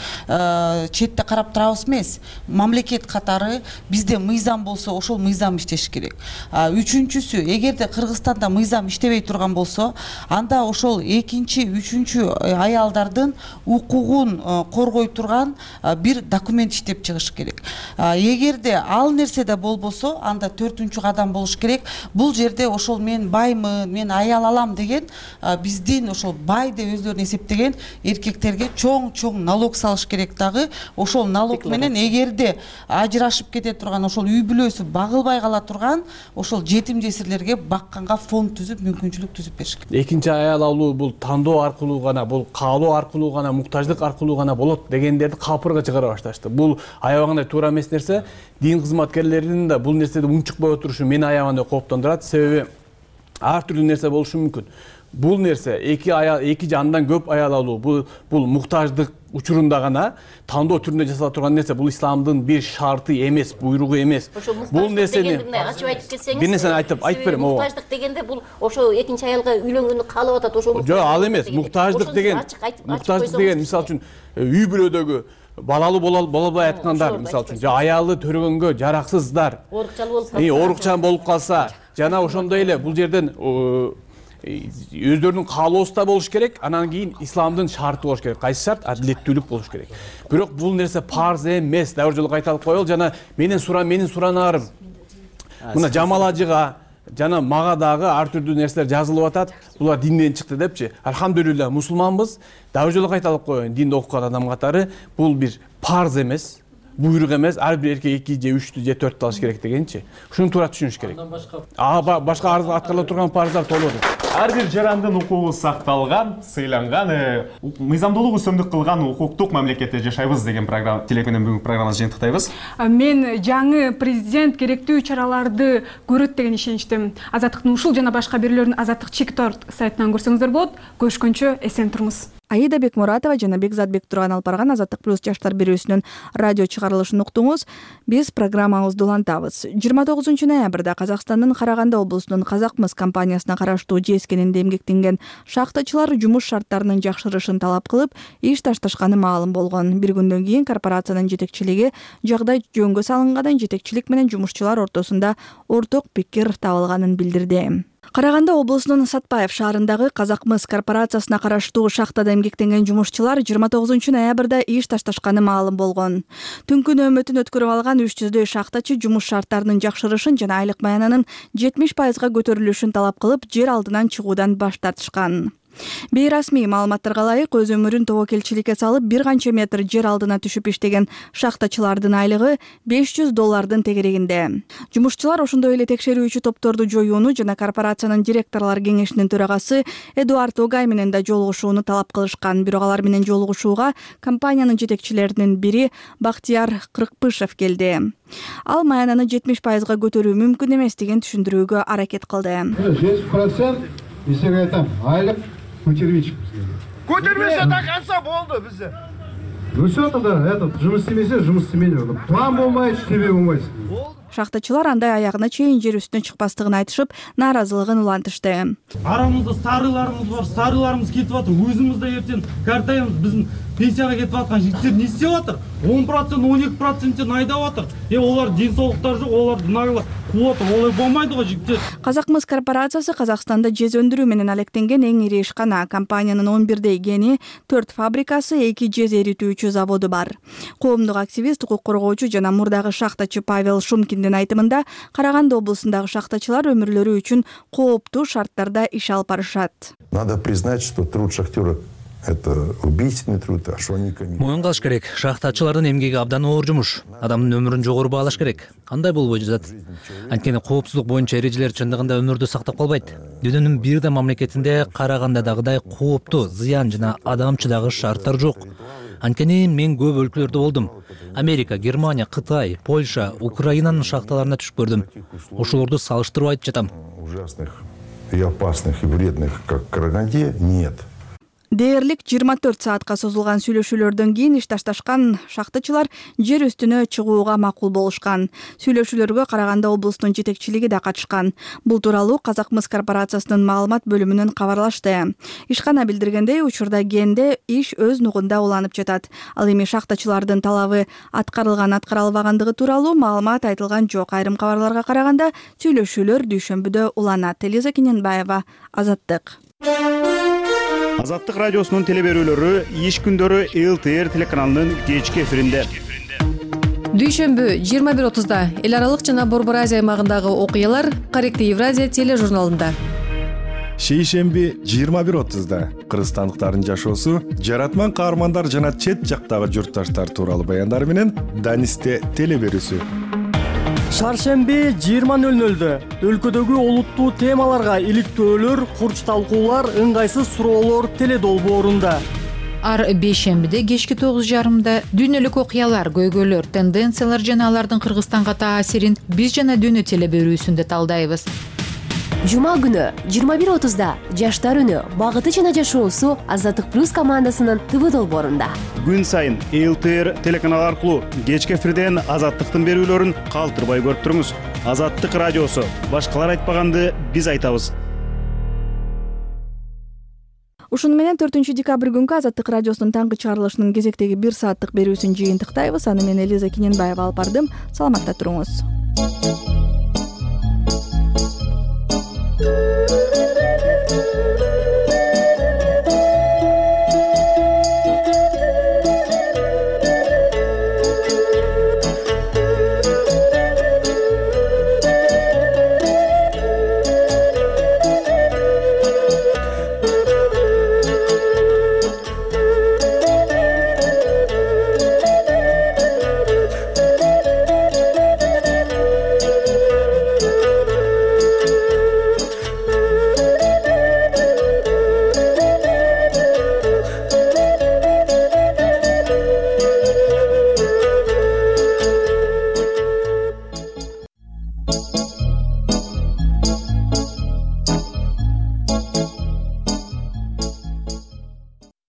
четте карап турабыз эмес. Мамлекет катары бизде мыйзам болсо, ошол мыйзам иштеш керек. Үчүнчүсү, эгерде Кыргызстанда мыйзам иштебей турган болсо, анда ошол экинчи, үчүнчү аялдардын укугун коргой турган бир документ иштеп чыгыш керек. Эгерде ал нерседе болбосо, анда 4-кадам кадам болуш керек. Бул жерде ошол менаймын, мен аял алам деген биздин ошол бай деп өздөрүн эсептеген эркектерге чоң налог салыш керек дагы. Ошол налог менен эгерде ажырашып кете турган, ошол үй бүлөсү багылбай кала турган ошол жетим жесирлерге бакканга фонд түзүп, мүмкүнчүлүк түзүп бериш керек. Экинчи аял алуу бул тандоо аркылуу гана, бул каалоо аркылуу гана, муктаждык аркылуу гана болот дегендерди капырга чыгара башташты. Бул аябагандай туура эмес нерсе. Дин кызматкерлеринин да бул нерседе унчукпай отурушу мени аябагандай кооптондурат. Себеби ар түрдүү нерсе болушу мүмкүн. Бул нерсе эки же андан көп аял алуу, бул муктаждык учурунда гана тандоо түрүндө жасала турган нерсе бул исламдын бир шарты эмес, буйругу эмес. Бул нерсени ачып айтып кетсеңиз. Бир нерсени айтып берем. Муктаждык дегенде бул ошо экинчи аялга үйлөнгөнү каалап атат, ошо. Жок, ал эмес. Муктаждык деген мисалы үчүн үй бүлөдөгү балалуу боло албай аткандар, мисалы үчүн, же аялы төрөгөнгө жараксыздар, оорукчан болуп калса, жана ошондой эле бул жерден өздөрүнүн каалоосу да болуш керек, анан кийин исламдын шарты болуш керек. Кайсы шарт? Адилеттүүлүк болуш керек. Бирок бул нерсе парз эмес. Дагы бир жолу кайталып коелу, жана менин суранарым. Мына Жамаладжыга жана мага дагы ар түрдүү нерселер жазылып атат. Булар динден чыкты депчи. Алхамдулилла, мусулманбыз. Дагы бир жолу кайталып коеюн, динди окуган адам катары бул бир парз эмес, буйрук эмес. Ар бир эркек 2 же 3 же 4 алыш керек дегенчи. Ушуну туура түшүнүш керек. Башка аткарыла турган парыздар толугу. Ар бир жарандын укугу сакталган, сыйланган, мыйзамдуулук үстөмдүк кылган укуктук мамлекетте жашайбыз деген программа телек менен бүгүнкү программабызды жыйынтыктайбыз. Мен жаңы президент керектүү чараларды көрөт деген ишеничтемин. Азаттыктын ушул жана башка бирлердин азаттык чек.org сайтынан көрсөңүздөр болот. Көрүшкөнчө эсен туруңуз. Аида Бекмуратова жана Бекзатбек Турган алып барган Азаттык плюс жаштар берүүсүнүн радио чыгарылышын уктуңуз. Биз программабызды улантабыз. 29 ноябрда Казакстандын Караганды облусунун Казакмыс компаниясына караштуу жескенинде эмгектенген шахтачылар жумуш шарттарынын жакшырышын талап кылып, иш ташташканы маалым болгон. Бир күндөн кийин корпорациянын жетекчилиги жагдай жөнгө салынгандан жетекчилик менен жумушчулар ортосунда орток пикир табылганын билдирди. Караганды облусунун Сатпаев шаарындагы Казакмыс корпорациясына караштуу шахтада эмгектенген жумушчулар 29 ноябрда иш ташташканы маалым болгон. Түнкү нөөмөтүн өткөрүп алган 300дөй шахтачы жумуш шарттарынын жакшырышын жана айлык маянанын 70%га көтөрүлүшүн талап кылып, жер алдынан чыгуудан баш тартышкан. Бейрасмий маалыматтарга ылайык, өз өмүрүн тобокелчиликке салып, бир канча метр жер алдына түшүп иштеген шахтачылардын айлыгы $500 тегерегинде. Жумушчулар ошондой эле текшерүүчү топторду жоюуну жана корпорациянын директорлор кеңешинин төрагасы Эдуард Огай менен да жолугушууну талап кылышкан. Бирок алар менен жолугушууга компаниянын жетекчилеринин бири Бактияр Кыркпышев келди. Ал маянаны 70%га көтөрүү мүмкүн эмес деген түшүндүрүүгө аракет кылды. 100% бизге айтам, айлык көтермейчик. Көтермесе да канса болду бизде. Все тогда жұмыс істемесе, жұмыс істемейді. План болмайды, иштебей болмайсың. Шахтачылар андай аягына чейин жер үстүнө чыкпастыгын айтышып, нааразылыгын улантышты. Арамызда старыларымыз бар, старыларымыз кетип атыр. Өзүмүз да эртең картайбыз, биздин пенсияга кетип аткан жигиттер не істеп атыр? 10%, 12% айдап атыр. Олар ден соолуктары жок, оларды нагыла кууп атыр. Олай болмайды го жигиттер. Казакмыс корпорациясы Казакстанда жез өндүрүү менен алектенген эң ири ишкана. Компаниянын 11 гени, 4 фабрикасы, 2 жез эритүүчү заводу бар. Коомдук активист, укук коргоочу жана мурдагы шахтачы Павел Шумкиндин айтымында, Караганды облусундагы шахтачылар өмүрлөрү үчүн кооптуу шарттарда иш алып барышат. Надо признать, что труд шахтера это убийственный труд, а что они Моюн кылыш керек. Шахтачылардын эмгеги абдан оор жумуш. Адамдын өмүрүн жогору баалаш керек. Андай болбой жатат. Анткени коопсуздук боюнча эрежелер чындыгында өмүрдү сактап калбайт. Дүйнөнүн бир да мамлекетинде Карагандыдагыдай кооптуу, зыян жана адамчыдагы шарттар жок. Анткени мен көп өлкөлөрдө болдум. Америка, Германия, Кытай, Польша, Украинанын шахталарына түшүп көрдүм. Ошолорду салыштырып айтып жатам. Ужасных и опасных и вредных, как в Караганде, нет. Дээрлик 24 саатка созулган сүйлөшүүлөрдөн кийин иш ташташкан шахтачылар жер үстүнө чыгууга макул болушкан. Сүйлөшүүлөргө Караганды облусунун жетекчилиги да катышкан. Бул тууралуу Казакмыс корпорациясынын маалымат бөлүмүнөн кабарлашты. Ишкана билдиргендей, учурда кенде иш өз нугунда уланып жатат. Ал эми шахтачылардын талабы аткарылбагандыгы тууралуу маалымат айтылган жок. Айрым кабарларга караганда, сүйлөшүүлөр дүйшөмбүдө уланат. Элиза Кененбаева, Азаттык. Азаттык радиосунун телеберүүлөрү иш күндөрү ЛТР телеканалынын кечки эфиринде. Дүйшөмбү 21:30-да эл аралык жана Борбор Азия аймагындагы окуялар Корректив Евразия тележурналында. Шейшемби 21:30-да кыргызстандыктардын жашоосу, жаратман каармандар жана чет жактагы журтташтар тууралуу баяндар менен Данисте телеберүүсү. Шаршемби 20:00-дө өлкөдөгү олуттуу темаларга иликтөөлөр, курч талкуулар, ыңгайсыз суроолор теледолбоорунда. Ар бейшембиде кечки 9:30-да дүйнөлүк окуялар, көйгөйлөр, тенденциялар жана алардын Кыргызстанга таасирин биз жана дүйнө телеберүүсүндө талдайбыз. Жума күнү 21:30 Жаштар үнү багыты жана жашоосу Азаттык плюс командасынын ТВ долбоорунда. Күн сайын ЛТР телеканалы аркылуу кечки эфирден Азаттыктын берүүлөрүн калтырбай көрүп туруңуз. Азаттык радиосу. Башкалар айтпаганды биз айтабыз. Ушуну менен 4 декабрь күнкү Азаттык радиосунун таңкы чыгарылышынын кезектеги 1 сааттык берүүсүн жыйынтыктайбыз. Аны мен Элиза Киненбаева алып бардым. Саламатта туруңуз.